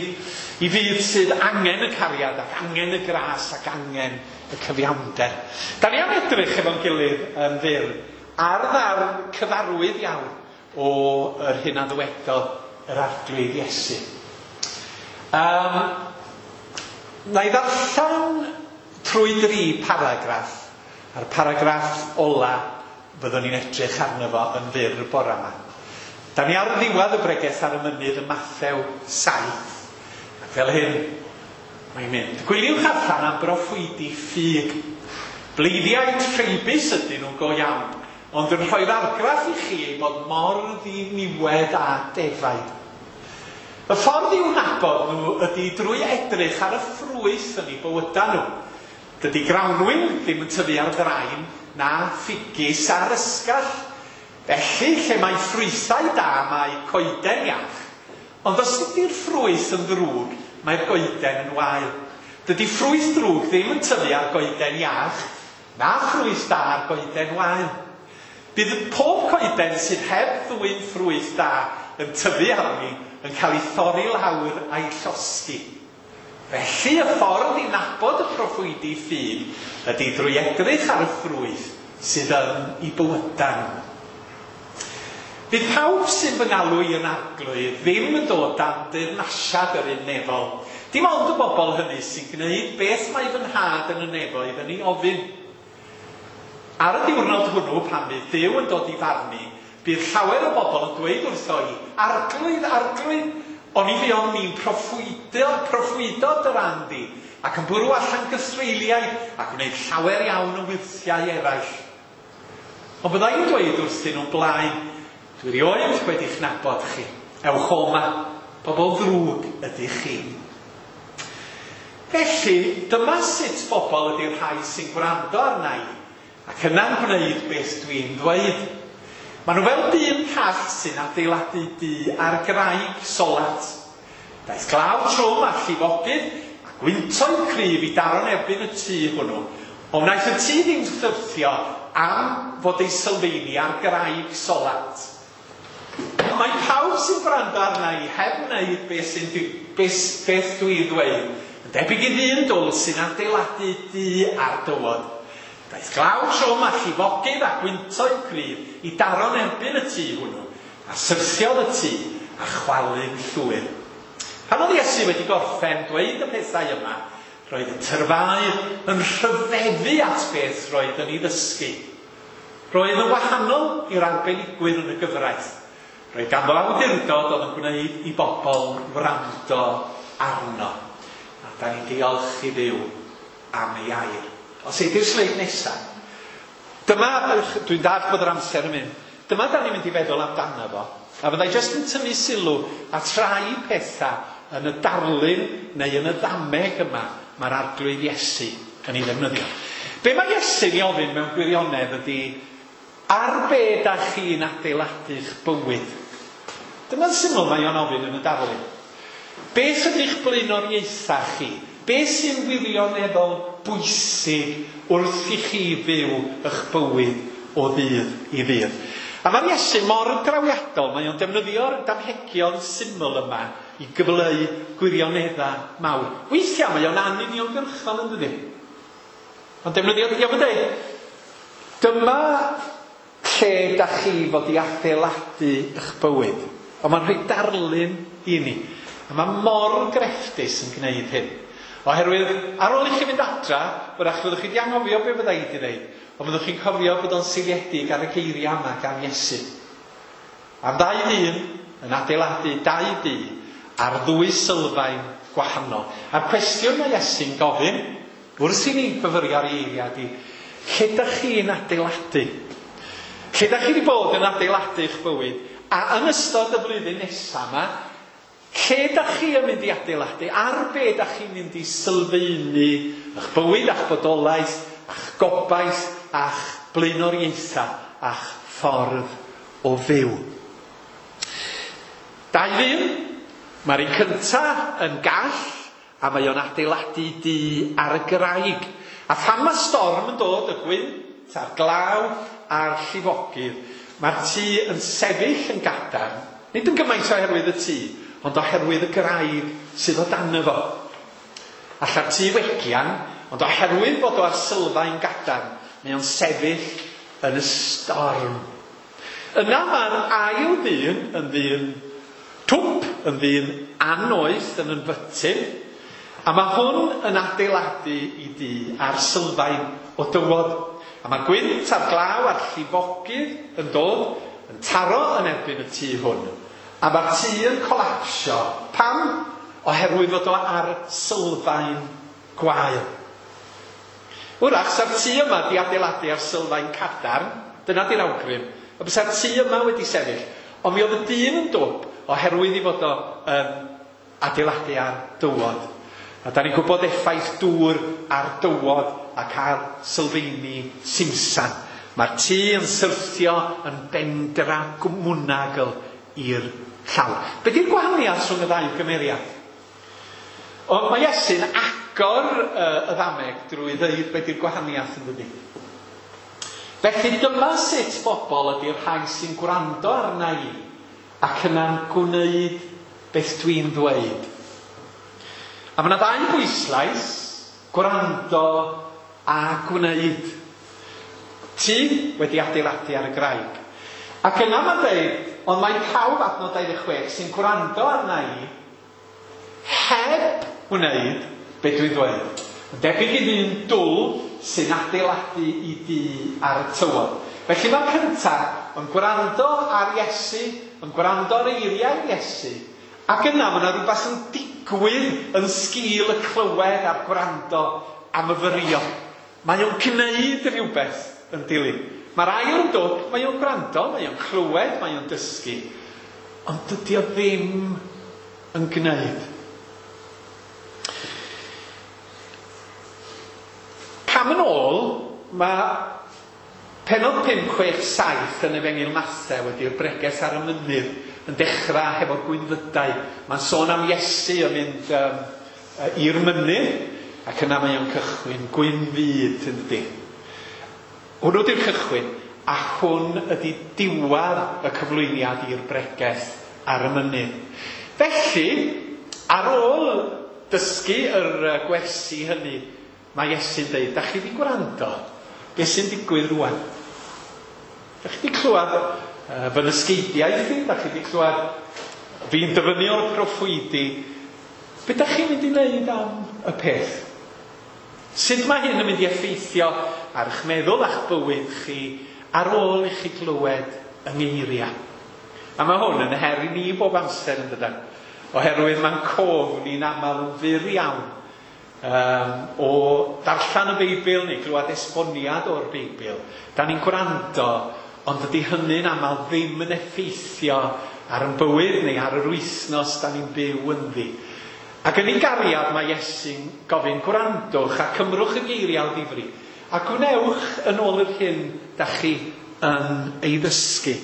I fyd sydd angen y cariad ac angen y gras ac angen y cyfiawnder. Da ni am edrych efo'n gilydd yn fyr ar ddarn cyfarwydd iawn o yr hyn a ddywedodd yr Arglwydd Iesu. Na i ddarllen trwy dri paragraff, a'r paragraff ola fyddwn ni'n edrych arno fo yn fyr y bore yma. Da ni ar ddiwedd y bregeth ar y mynydd ym Mathew 7, ac fel hyn Mae'n mynd. Gwyliwch allan am broffwydi ffug. Bleiddiau treibus ydyn nhw'n go iawn, ond yn rhoi'r argraff i chi ei bod mor ddiniwed a defaid. Y ffordd i'w nabod nhw ydy drwy edrych ar y ffrwyth yn eu bywydau nhw. Dydy grawnwin ddim yn tyfu ar ddrain na ffigys ar ysgall. Felly, lle mae ffrwythau da, mae coeden iach. Ond os ydy'r ffrwyth yn ddrwg, mae'r goeden yn wael. Dydy ffrwyth drwg ddim yn tyfu ar goeden iach, na ffrwyth da ar goeden wael. Bydd pob coeden sydd heb ddwyn ffrwyth da yn tyfu arni yn cael ei thorri lawr a'i llosgi. Felly y ffordd i nabod y proffwydi ffug ydy drwy edrych ar y ffrwyth sydd yn ei bywydau nhw. Bydd pawb sy'n fy ngalw i yn arglwydd ddim yn dod dan deyrnasiad yr un nefol. Dim ond y bobl hynny sy'n gwneud beth mae fy nhad yn y nefoedd yn ei ofyn. Ar y diwrnod hwnnw, pan fydd Duw yn dod i farnu, bydd llawer o bobl yn dweud wrtho i, Arglwydd, arglwydd, oni fuon ni'n proffwydo dy ran di, ac yn bwrw allan gythreuliaid a gwneud llawer iawn o wyrthiau eraill. Ond bydda i'n dweud wrthyn nhw'n blaen, dwi rioed wedi'ch nabod chi. Ewch o 'ma, bobl ddrwg ydych chi. Felly, dyma sut bobl ydy'r rhai sy'n gwrando arna i, ac yna'n gwneud beth dwi'n ddweud. Maen nhw fel dyn call sy'n adeiladu dŷ ar graig solat. Daeth glaw trwm a llifogydd a gwyntoedd cryf i daro'n erbyn y tŷ hwnnw. Ond wnaeth y tŷ ddim syrthio am fod ei sylfeini ar graig solat. Mae pawb sy'n gwrando arna i heb wneud beth, sy'n, beth, beth dwi'n ddweud yn debyg i ddyn dwl sy'n adeiladu dŷ ar dywod. Daeth glaw trwm a llifogydd a gwyntoedd cryf i daro'n erbyn y tŷ hwnnw, a syrthiodd y tŷ a chwalu'n llwyr. Pan oedd Iesu wedi gorffen dweud y pethau yma, roedd y tyrfaoedd yn rhyfeddu at beth roedd yn ei ddysgu. Roedd yn wahanol i'r arbenigwyr yn y gyfraith. Roedd ganddo awdurdod oedd yn gwneud i bobl wrando arno. A da ni'n diolch i Dduw am ei air. Os ei di'r sleid nesaf. Dyma, dwi'n dallt bod yr amser yn mynd. Dyma da ni'n mynd i feddwl amdano fo. A fyddai jyst yn tynnu sylw at rai pethau yn y darlun neu yn y ddameg yma mae'r arglwydd Iesu yn ei ddefnyddio. Be mae Iesu'n ei ofyn mewn gwirionedd ydy, ar be da chi'n adeiladu'ch bywyd? Dyma'n syml mae o'n ofyn yn y darlun. Beth ydy'ch blaenoriaethau chi? Beth sy'n wirioneddol bwysig wrth i chi fyw eich bywyd o ddydd i ddydd? A mae'r Iesu mor drawiadol, mae o'n defnyddio'r damhegion syml yma i gyfleu gwirioneddau mawr. Weithiau mae o'n anuniongyrchol yn dydi? Ond defnyddio, iawn yn dweud, dyma lle da chi fod i adeiladu eich bywyd. Ond mae'n rhoi darlun i ni. A mae mor grefftus yn gwneud hyn. Oherwydd, ar ôl i chi fynd adra, wrach fyddwch chi wedi anghofio be fydda i wedi dweud, ond fyddwch chi'n cofio bod o'n seiliedig ar y geiriau yma gan Iesu. Am ddau ddyn yn adeiladu dau dŷ ar ddwy sylfaen gwahanol. A'r cwestiwn mae Iesu'n gofyn, wrth i ni fyfyrio ar ei eiriau ydi, lle dach chi'n adeiladu? Lle dach chi wedi bod yn adeiladu eich bywyd? A yn ystod y flwyddyn nesaf yma, lle dach chi yn mynd i adeiladu? Ar be dach chi'n mynd i sylfaenu eich bywyd a'ch bodolaeth, a'ch gobaith, a'ch blaenoriaethau, a'ch ffordd o fyw? Dau ddyn, mae'r un cyntaf yn gall, a mae o'n adeiladu dŷ ar y graig. A phan mae storm yn dod, y gwynt a'r glaw a'r llifogydd, mae'r tŷ yn sefyll yn gadarn, nid yn gymaint oherwydd y tŷ, ond oherwydd y graig sydd o dan fo. Alla'r tŷ wegian, ond oherwydd bod o ar sylfaen gadarn, mae o'n sefyll yn y storm. Yna mae'r ail ddyn yn ddyn twp, yn ddyn annoeth, yn ynfytyn, a mae hwn yn adeiladu i dŷ ar sylfaen o dywod. A mae gwynt a'r glaw a'r llifogydd yn dod yn taro yn erbyn y tŷ hwn. A mae'r tŷ yn colapsio. Pam? oherwydd fod o ar sylfaen gwael. Wrach, sa'r tŷ yma di adeiladu ar sylfaen cadarn, dyna di'r awgrym, a bysa'r tŷ yma wedi sefyll, ond mi oedd y dyn yn dwp oherwydd i fod o yn adeiladu ar dywod. A da ni'n gwybod effaith dŵr ar dywod ac ar sylfaeni simsan. Mae'r tŷ yn syrthio yn bendra mwynagl i'r llawr. Be di'r gwahaniaeth rhwng y ddau gymeriad? O, mae Iesu'n agor y ddameg drwy ddeud be di'r gwahaniaeth yn dydi. Felly dyma sut bobl ydy'r rhai sy'n gwrando arna i ac yna'n gwneud beth dwi'n ddweud. A mae yna ddau bwyslais, gwrando a gwneud. Ti wedi adeiladu ar y graig. Ac yna mae'n dweud, ond mae pawb adnod 26 sy'n gwrando arna i heb wneud be dwi'n ddweud. Yn debyg i ddyn dwl sy'n adeiladu i dŷ ar y tywod. Felly mae'r cyntaf yn gwrando ar Iesu, yn gwrando ar eiriau Iesu, ac yna mae yna rhywbeth yn digwydd yn sgil y clywed a'r gwrando a myfyrio. Mae o'n gwneud rhywbeth yn dilyn. Mae'r ail yn dod, mae o'n gwrando, mae o'n clywed, mae o'n dysgu, ond dydy o ddim yn gwneud. Cam yn ôl, mae pennod 5, 6, 7 yn Efengyl Mathew ydy'r bregeth ar y mynydd yn dechrau hefo'r gwynfydau. Mae'n sôn am Iesu yn mynd i'r mynydd ac yna mae o'n cychwyn gwynfyd yn dydi. Hwnnw di'r cychwyn, a hwn ydy diwedd y cyflwyniad i'r bregeth ar y mynydd. Felly, ar ôl dysgu yr gwersi hynny, mae Iesu'n dweud, da chi wedi gwrando, beth sy'n digwydd rwan? Da chi wedi clywed fy nysgeidiaeth i, da chi wedi clywed fi'n dyfynnu o'r proffwydi. Be da chi'n mynd i wneud am y peth? Sut mae hyn yn mynd i effeithio ar eich meddwl a'ch bywyd chi ar ôl i chi glywed yng ngeiriau? A mae hwn yn her i ni bob amser yn dydan, oherwydd mae'n cof ni'n aml yn fyr iawn o darllen y Beibl neu glywed esboniad o'r Beibl. Da ni'n gwrando, ond dydy hynny'n aml ddim yn effeithio ar ein bywyd neu ar yr wythnos da ni'n byw ynddi. Ac yn ei gariad mae Iesu'n gofyn gwrandwch a cymrwch y geiriau o ddifri a gwnewch yn ôl yr hyn da chi yn ei ddysgu.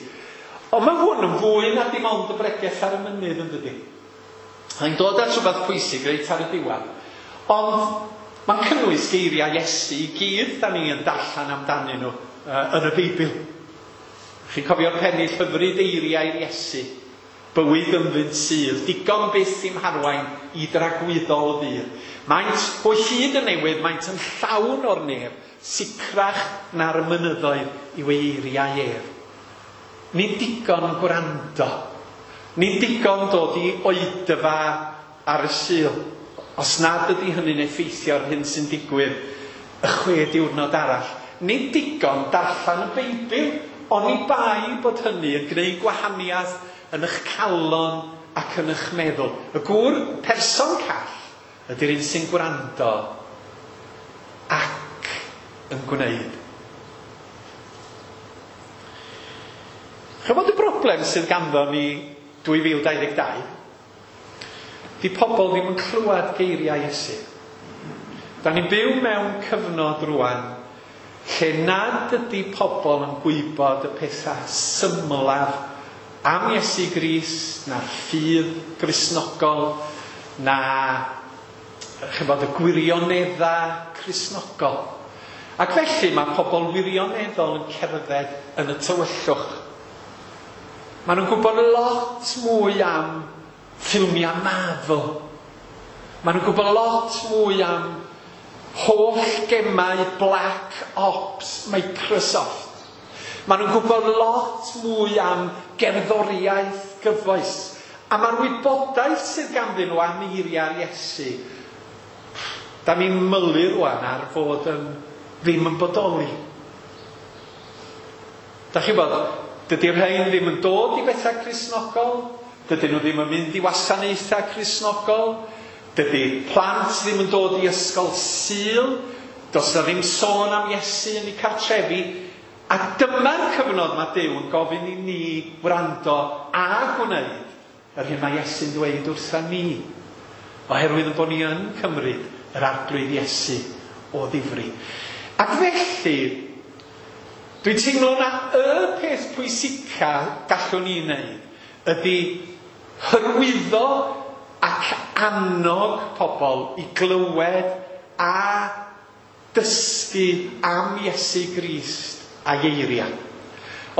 Ond mae hwn yn fwy na dim ond y bregeth ar y mynydd yn dydi. Mae'n dod at rhywbeth pwysig reit ar y diwedd. Ond mae'n cynnwys geiriau Iesu i gyd da ni yn darllen amdanyn nhw yn y Beibl. Chi'n cofio'r pennill hyfryd eiriau Iesu, bywyd ynddynt sydd, digon byth i'm harwain i dragwyddol ddydd. Maent o hyd yn newydd, maent yn llawn o'r nef, sicrach na'r mynyddoedd i'w eiriau ef. Nid digon gwrando, nid digon dod i oedfa ar y Sul, os nad ydy hynny'n effeithio ar hyn sy'n digwydd y 6 diwrnod arall. Nid digon darllen y Beibl, oni bai bod hynny yn gwneud gwahaniaeth yn eich calon ac yn eich meddwl. Y gŵr person call ydy'r un sy'n gwrando ac yn gwneud. Chymod y broblem sydd ganddo ni 2022? Di pobl ddim yn clywed geiriau Iesu. Da ni'n byw mewn cyfnod rwan lle nad ydy pobl yn gwybod y pethau symlaf am Iesu Grist, na'r ffydd Gristnogol, na chymod y gwirioneddau Cristnogol. Ac felly mae pobl wirioneddol yn cerdded yn y tywyllwch. Maen nhw'n gwybod lot mwy am ffilmiau Marvel. Maen nhw'n gwybod lot mwy am holl gemau Black Ops Microsoft. Maen nhw'n gwybod lot mwy am gerddoriaeth gyfoes. A mae'r wybodaeth sydd ganddyn nhw am eiriau'r Iesu, da ni'n mylu rwan ar fod yn ddim yn bodoli. Da chi'n bod, dydy'r rhain ddim yn dod i bethau Cristnogol, Dydyn nhw ddim yn mynd i wasanaethau Cristnogol. Dydy plant ddim yn dod i ysgol Sul. Does na ddim sôn am Iesu yn eu cartrefi. A dyma'r cyfnod mae Duw yn gofyn i ni wrando a gwneud yr hyn mae Iesu'n dweud wrtha ni. Oherwydd yn bod ni yn cymryd yr Arglwydd Iesu o ddifri. Ac felly, dwi'n teimlo na y peth pwysica gallwn ni wneud ydy hyrwyddo ac annog pobl i glywed a dysgu am Iesu Grist a'i eiriau.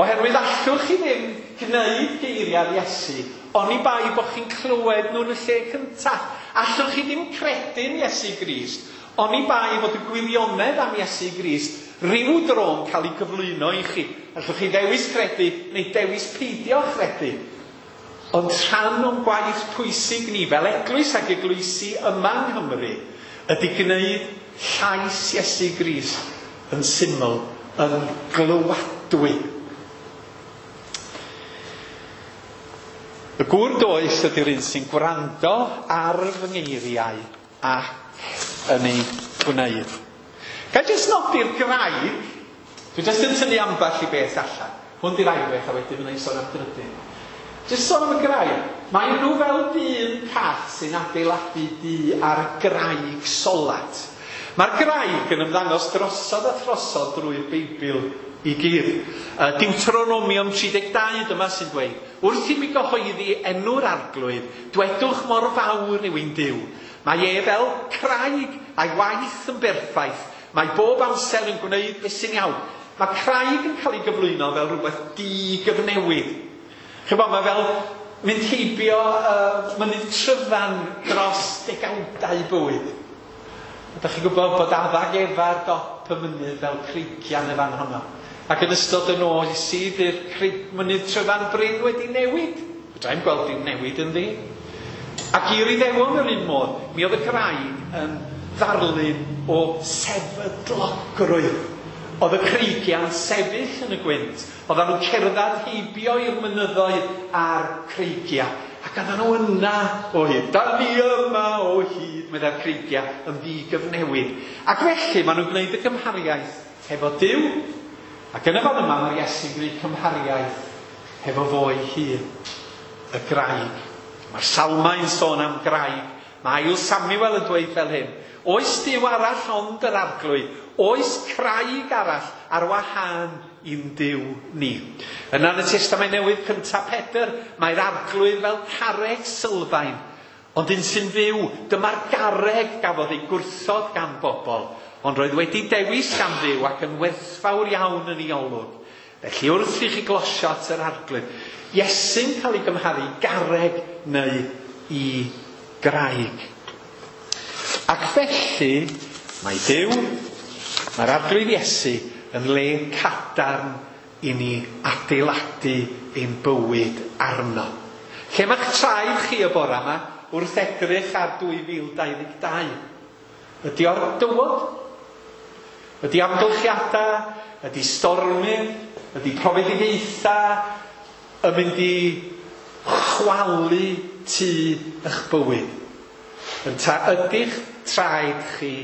Oherwydd allwch chi ddim gwneud geiriau'r Iesu oni bai bod chi'n clywed nhw yn y lle cyntaf. Allwch chi ddim credu'n Iesu Grist oni bai fod y gwirionedd am Iesu Grist rhyw dro'n cael ei gyflwyno i chi. Allwch chi ddewis credu neu dewis peidio chredu. Ond rhan o'n gwaith pwysig ni fel eglwys ac eglwysi yma yng Nghymru ydy gwneud llais Iesu Grist yn syml, yn glywadwy. Y gŵr doeth ydy'r un sy'n gwrando ar fy ngeiriau ac yn ei gwneud. Ga i jyst nodi'r graig? Dwi jyst yn tynnu ambell i beth allan. Hwn di'r ail beth a wedyn fydda i'n sôn am drydydd. Jyst sôn am y graig. Mae nhw fel dyn call sy'n adeiladu dŷ ar graig solat. Mae'r graig yn ymddangos drosodd a throsodd drwy'r Beibl i gyd. Deuteronomium 32 dyma sy'n dweud, wrth i mi gyhoeddi enw'r Arglwydd, dwedwch mor fawr yw ein Duw. Mae e fel craig a'i waith yn berffaith. Mae bob amser yn gwneud beth sy'n iawn. Mae craig yn cael ei gyflwyno fel rhywbeth digyfnewid. Chibod, mae fel mynd heibio mynydd Tryfan dros degawdau bywyd. Ydych chi'n gwybod bod Adda ac Efa ar dop y mynydd fel creigiau yn y fan honno. Ac yn ystod y nos sydd i'r mynydd Tryfan Bryn wedi newid. Fedra i'm gweld dim newid ynddi. Ac i'r Iddewon yr un modd, mi oedd y graig yn ddarlun o sefydlogrwydd. Oedd y creigiau'n sefyll yn y gwynt. Oedden nhw'n cerdded heibio i'r mynyddoedd a'r creigiau. Ac oedden nhw yna o hyd. Da ni yma o hyd, meddai'r creigiau, yn ddigyfnewid. Ac felly maen nhw'n gwneud y gymhariaeth hefo Duw. Ac yn y fan yma mae'r Iesu'n gwneud cymhariaeth hefo fo'i hun, y graig. Mae'r Salmau'n sôn am graig. Mae Ail Samuel yn dweud fel hyn. Oes Duw arall ond yr Arglwydd? Oes craig arall ar wahân i'n Duw ni? Yna yn y Testament Newydd cyntaf Pedr, mae'r Arglwydd fel carreg sylfaen, ond un sy'n fyw, dyma'r garreg gafodd ei gwrthod gan bobl, ond roedd wedi dewis gan Dduw ac yn werthfawr iawn yn ei olwg. Felly wrth i chi glosio at yr Arglwydd, Iesu'n cael ei gymharu garreg neu i graig. Ac felly, mae Duw, mae'r Arglwydd Iesu yn le cadarn i ni adeiladu ein bywyd arno. Lle mae'ch traed chi y bore yma wrth edrych ar 2022? Ydy o'r dywod? Ydy amgylchiadau? Ydy stormydd? Ydy profedigaethau yn mynd i chwalu tŷ eich bywyd? Ynta ydych traed chi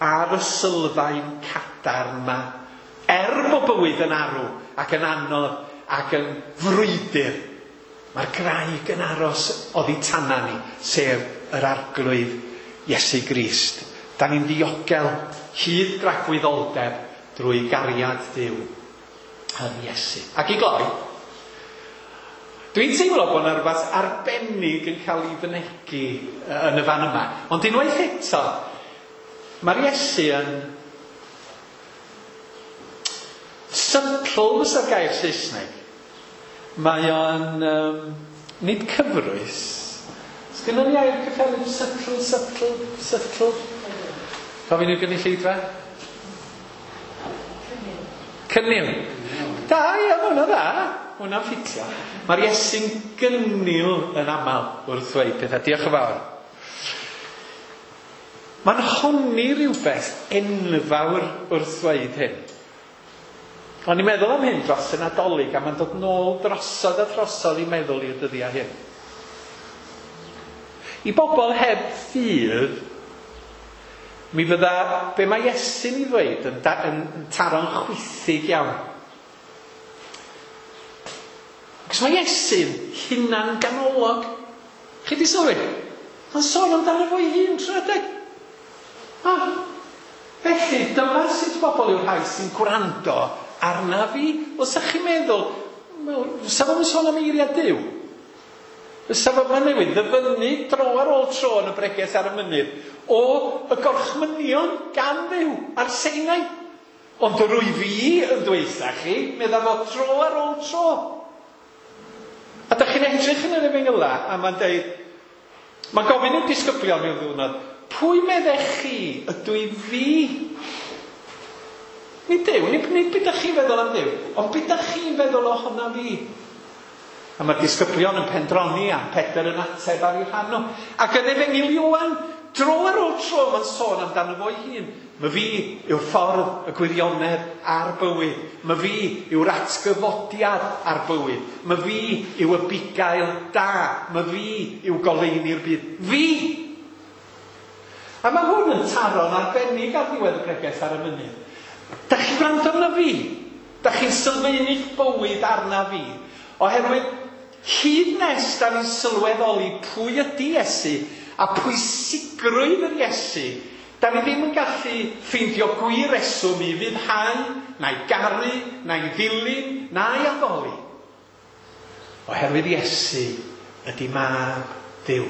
ar y sylfaen cadarn yma, er bod bywyd yn arw ac yn anodd ac yn frwydr, mae'r graig yn aros oddi tana ni, sef yr Arglwydd Iesu Grist. Da ni'n ddiogel hyd dragwyddoldeb drwy gariad Duw yn Iesu. Ac i gloi, dwi'n teimlo bod yna rhywbeth arbennig yn cael ei fynegi yn y fan yma. Ond unwaith eto, mae'r Iesu yn subtle, fysa'r gair Saesneg. Mae o'n nid cyfrwys. Sgynnon ni air cyffelyb subtle, subtle, subtle? Gofyn i'r gynulleidfa? Cynnil. Da, ia, mae hwnna dda. Hwnna'n ffitio. Mae'r Iesu'n gynnil yn aml wrth ddweud pethau. Diolch yn fawr. Mae'n honni rhywbeth enfawr wrth ddweud hyn. O'n i'n meddwl am hyn dros y Nadolig, a mae'n dod nôl drosodd a throsodd i meddwl i'r dyddiau hyn. I bobl heb ffydd, mi fydda be mae Iesu'n ei ddweud yn taro'n chwithig iawn. Cos mae Iesu'n hunan ganolog. Chi di sylwi? Mae'n sôn amdano fo'i hun trwy adeg. Felly, dyma sut bobl yw'r rhai sy'n gwrando arna fi. Wel, sa chi'n meddwl, wel, sa fo'n sôn am eiriau Duw? Fysa fo ma' newydd ddyfynnu dro ar ôl tro yn y bregeth ar y mynydd o y gorchmynion gan Dduw ar Sinai. Ond yr wyf fi yn dweutha chi, medda fo dro ar ôl tro. A da chi'n edrych yn yr efengyla a mae'n deud, mae'n gofyn i'r disgyblion mewn ddiwrnod, pwy meddech chi ydw i fi? Nid Duw, nid beth ydych chi'n feddwl am Dduw, ond beth ydych chi'n feddwl ohona fi? A mae'r disgyblion yn pendroni a Pedr yn ateb ar ei rhan nhw. Ac yn Efengyl Ioan, dro ar ôl tro mae'n sôn amdano fo'i hun. My fi yw'r ffordd, y gwirionedd a'r bywyd. My fi yw'r atgyfodiad a'r bywyd. My fi yw y bugail da. My fi yw goleuni'r byd. Fi! A mae hwn yn taro'n arbennig ar ddiwedd y bregeth ar y mynydd. Da chi'n gwrando arna fi? Da chi'n sylfaenu'ch bywyd arna fi? Oherwydd, hyd nes da ni'n sylweddoli pwy ydy Iesu a pwysigrwydd yr Iesu, da ni ddim yn gallu ffeindio gwir reswm i fuddhau, na'i garu, na'i ddilyn, na'i addoli. Oherwydd Iesu ydy mab Duw.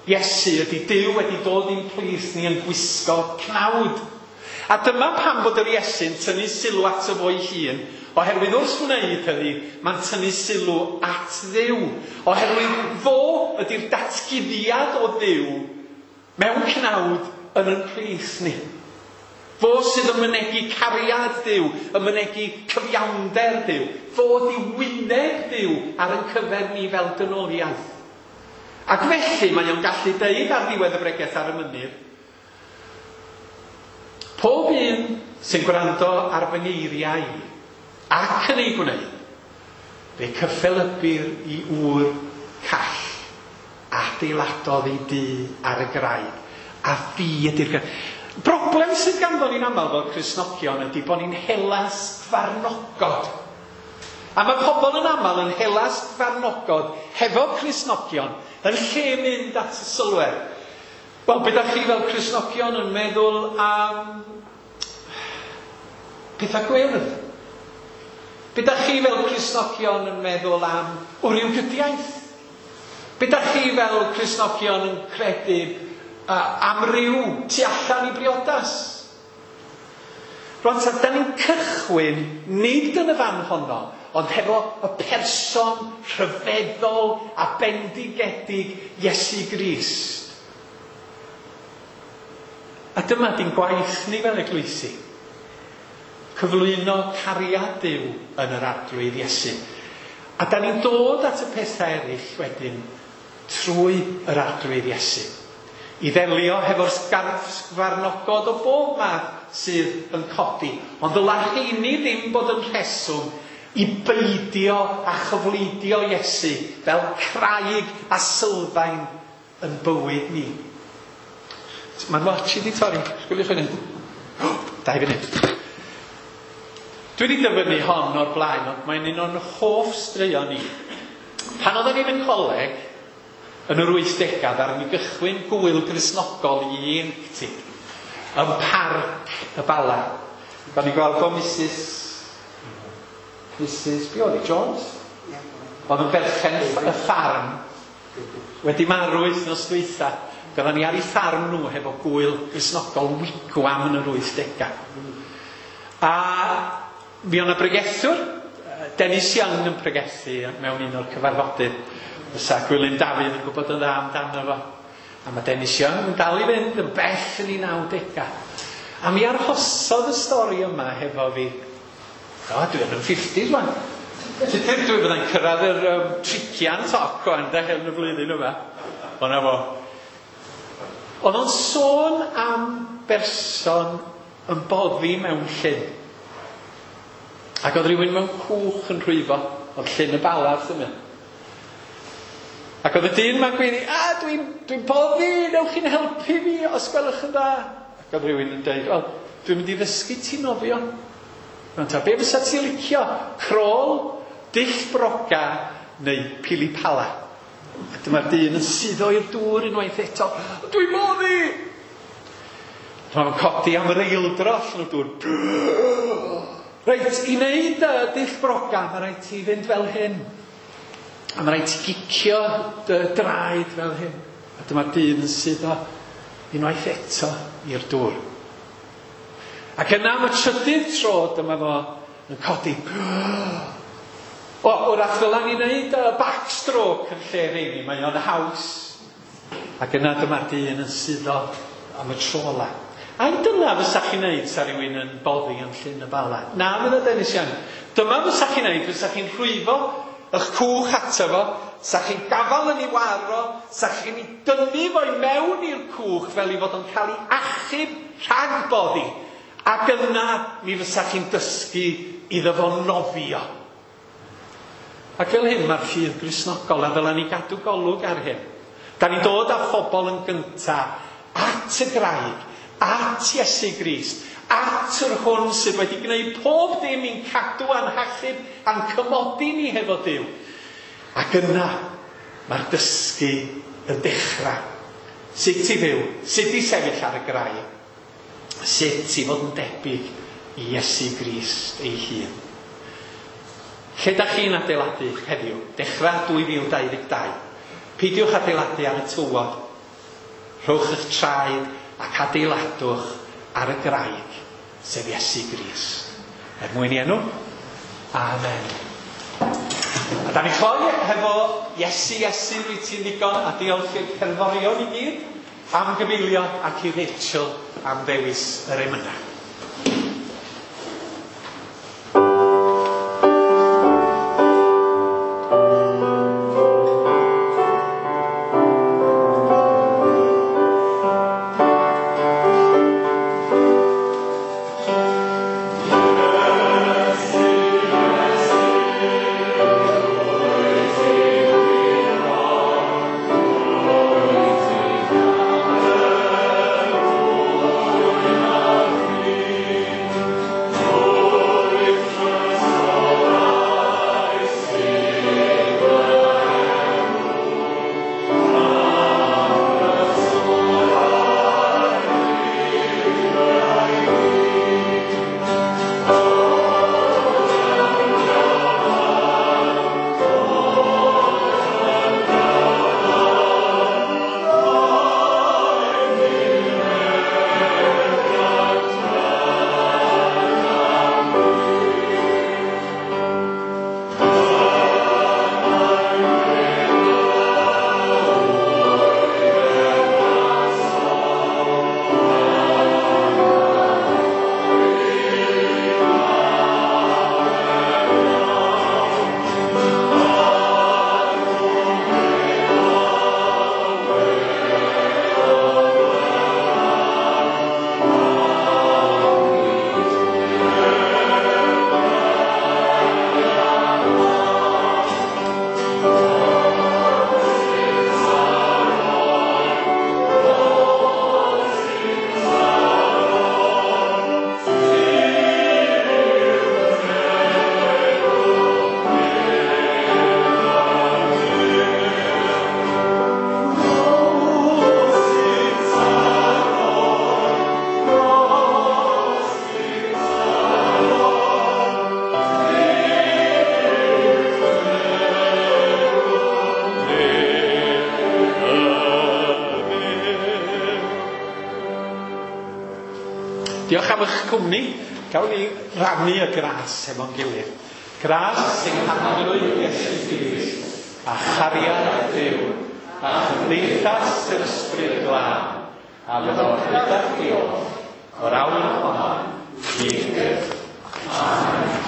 Iesu ydy Duw wedi dod i'n plith ni yn gwisgo cnawd. A dyma pam bod yr Iesu'n tynnu sylw ato fo'i hun, oherwydd wrth wneud hynny, mae'n tynnu sylw at Dduw. Oherwydd fo ydy'r datguddiad o Dduw mewn cnawd yn ein plith ni. Fo sydd yn mynegi cariad Duw, yn mynegi cyfiawnder Duw. Fo ydy wyneb Duw ar ein cyfer ni fel dynoliaeth. Ac felly mae o'n gallu deud ar ddiwedd y bregeth ar y mynydd, pob un sy'n gwrando ar fy ngeiriau i ac yn ei gwneud, fe cyffelybir i ŵr call adeiladodd ei dŷ ar y graig, a fi ydy'r graig. Broblem sydd ganddo ni'n aml fel Cristnogion ydy bod ni'n hela sgfarnogod. A mae pobl yn aml yn hela sgfarnogod hefo Cristnogion yn lle mynd at y sylwedd. Wel, be dach chi fel Cristnogion yn meddwl am pethau gwyrdd? Be dach chi fel Cristnogion yn meddwl am wrywgydiaeth? Be dach chi fel Cristnogion yn credu am ryw tu allan i briodas? Rwan ta, da ni'n cychwyn nid yn y fan honno, ond hefo y person rhyfeddol a bendigedig Iesu Grist. A dyma di'n gwaith ni fel eglwysi. Cyflwyno cariad Duw yn yr Arglwydd Iesu. A da ni'n dod at y pethau eraill wedyn trwy yr Arglwydd Iesu. I ddelio hefo'r sgfarnogod o bob math sydd yn codi. Ond ddyla rheini ddim bod yn rheswm i beidio a chyfleidio Iesu fel craig a sylfaen yn bywyd ni. Mae'n watch i di torri. Sgwiliwch funud. 2 funud. Dwi wedi dyfynnu hon o'r blaen, ond mae'n un o'n hoff straeon ni. Pan oedden ni'n y coleg, yn yr 80au, ddaru ni gychwyn gwyl Gristnogol i ieuenctid yn Parc y Bala. Da ni'n gweld o Mrs. Be oedd hi, Jones? Oedd yn berchen y ffarm wedi marw wythnos dwytha. Gydda ni ar ei ffarm nhw hefo gwyl Gristnogol wigwam yn yr 80au. A mi oedd 'na bregethwr, Dennis Young, yn pregethu mewn un o'r cyfarfodydd. Fysa Gwilym Dafydd yn gwybod yn dda amdano fo. A mae Dennis Young yn dal i fynd yn bell yn ei 90au. A mi arhosodd y stori yma hefo fi. O, dwi yn y 50s wan. Tudur dwi fyddai'n cyrraedd yr trigian toc o'n de yn y flwyddyn yma. O na fo. Oedd o'n sôn am berson yn boddi mewn llyn. Ac oedd rhywun mewn cwch yn rhwyfo. Oedd Llyn y Bala wrth ymyl. Ac oedd y dyn ma'n gweiddi, a dwi'n boddi, newch chi'n helpu fi os gwelwch yn dda. Ac oedd rhywun yn dweud, wel, dwi'n mynd i ddysgu ti nofio. Rwan ta, be fysa ti licio? Crôl, dull broga neu pili pala? A dyma'r dyn yn suddo i'r dŵr unwaith eto. Dwi'n boddi! Dyma fo'n codi am yr eildro allan o'r dŵr. Reit, i wneud dull broga, mae rhaid ti fynd fel hyn. A mae rhaid ti gicio dy draed fel hyn. A dyma'r dyn yn suddo unwaith eto i'r dŵr. Ac yna am y trydydd tro dyma fo yn codi. O, wrach ddylan ni wneud backstroke yn lle rheini, mae o'n haws. Ac yna dyma'r dyn yn suddo am y tro ola. Ai dyna fysa chi'n neud sa rhywun yn boddi yn Llyn y Bala? Na, fydda Dennis Young. Dyma fysa chi'n neud, fysa chi'n rhwyfo eich cwch ato fo, sa chi'n gafal yn ei waro, sa chi'n ei dynnu fo i mewn i'r cwch fel ei fod o'n cael ei achub rhag boddi. Ac yna mi fysa chi'n dysgu iddo fo nofio. Ac fel hyn mae'r ffydd Gristnogol, a ddylan ni gadw golwg ar hyn. Da ni'n dod â phobl yn gynta at y graig, at Iesu Grist, at yr hwn sydd wedi gwneud pob dim i'n cadw a'n hachub a'n cymodi ni hefo Duw. Ac yna mae'r dysgu yn dechrau. Sut i fyw, sut i sefyll ar y graig, sut i fod yn debyg i Iesu Grist ei hun. Lle da chi'n adeiladu heddiw? Dechrau 2022. Peidiwch adeiladu ar y tywod. Rhowch eich traed ac adeiladwch ar y graig, sef Iesu Grist. Er mwyn i enw, amen. A da ni'n cloi hefo Iesu, Iesu, rwyt ti'n ddigon, a diolch i'r cerddorion i gyd am gyfeilio ac i Rachel am ddewis yr emynau. Diolch am eich cwmni. Gawn ni rannu y gras hefo'n gilydd. Gras sy'n Arglwydd Iesu Grist, a chariad Duw, a chymdeithas yr Ysbryd Glân, a fyddo gyda chi oll, o'r awr honno, hyd byth. Amen.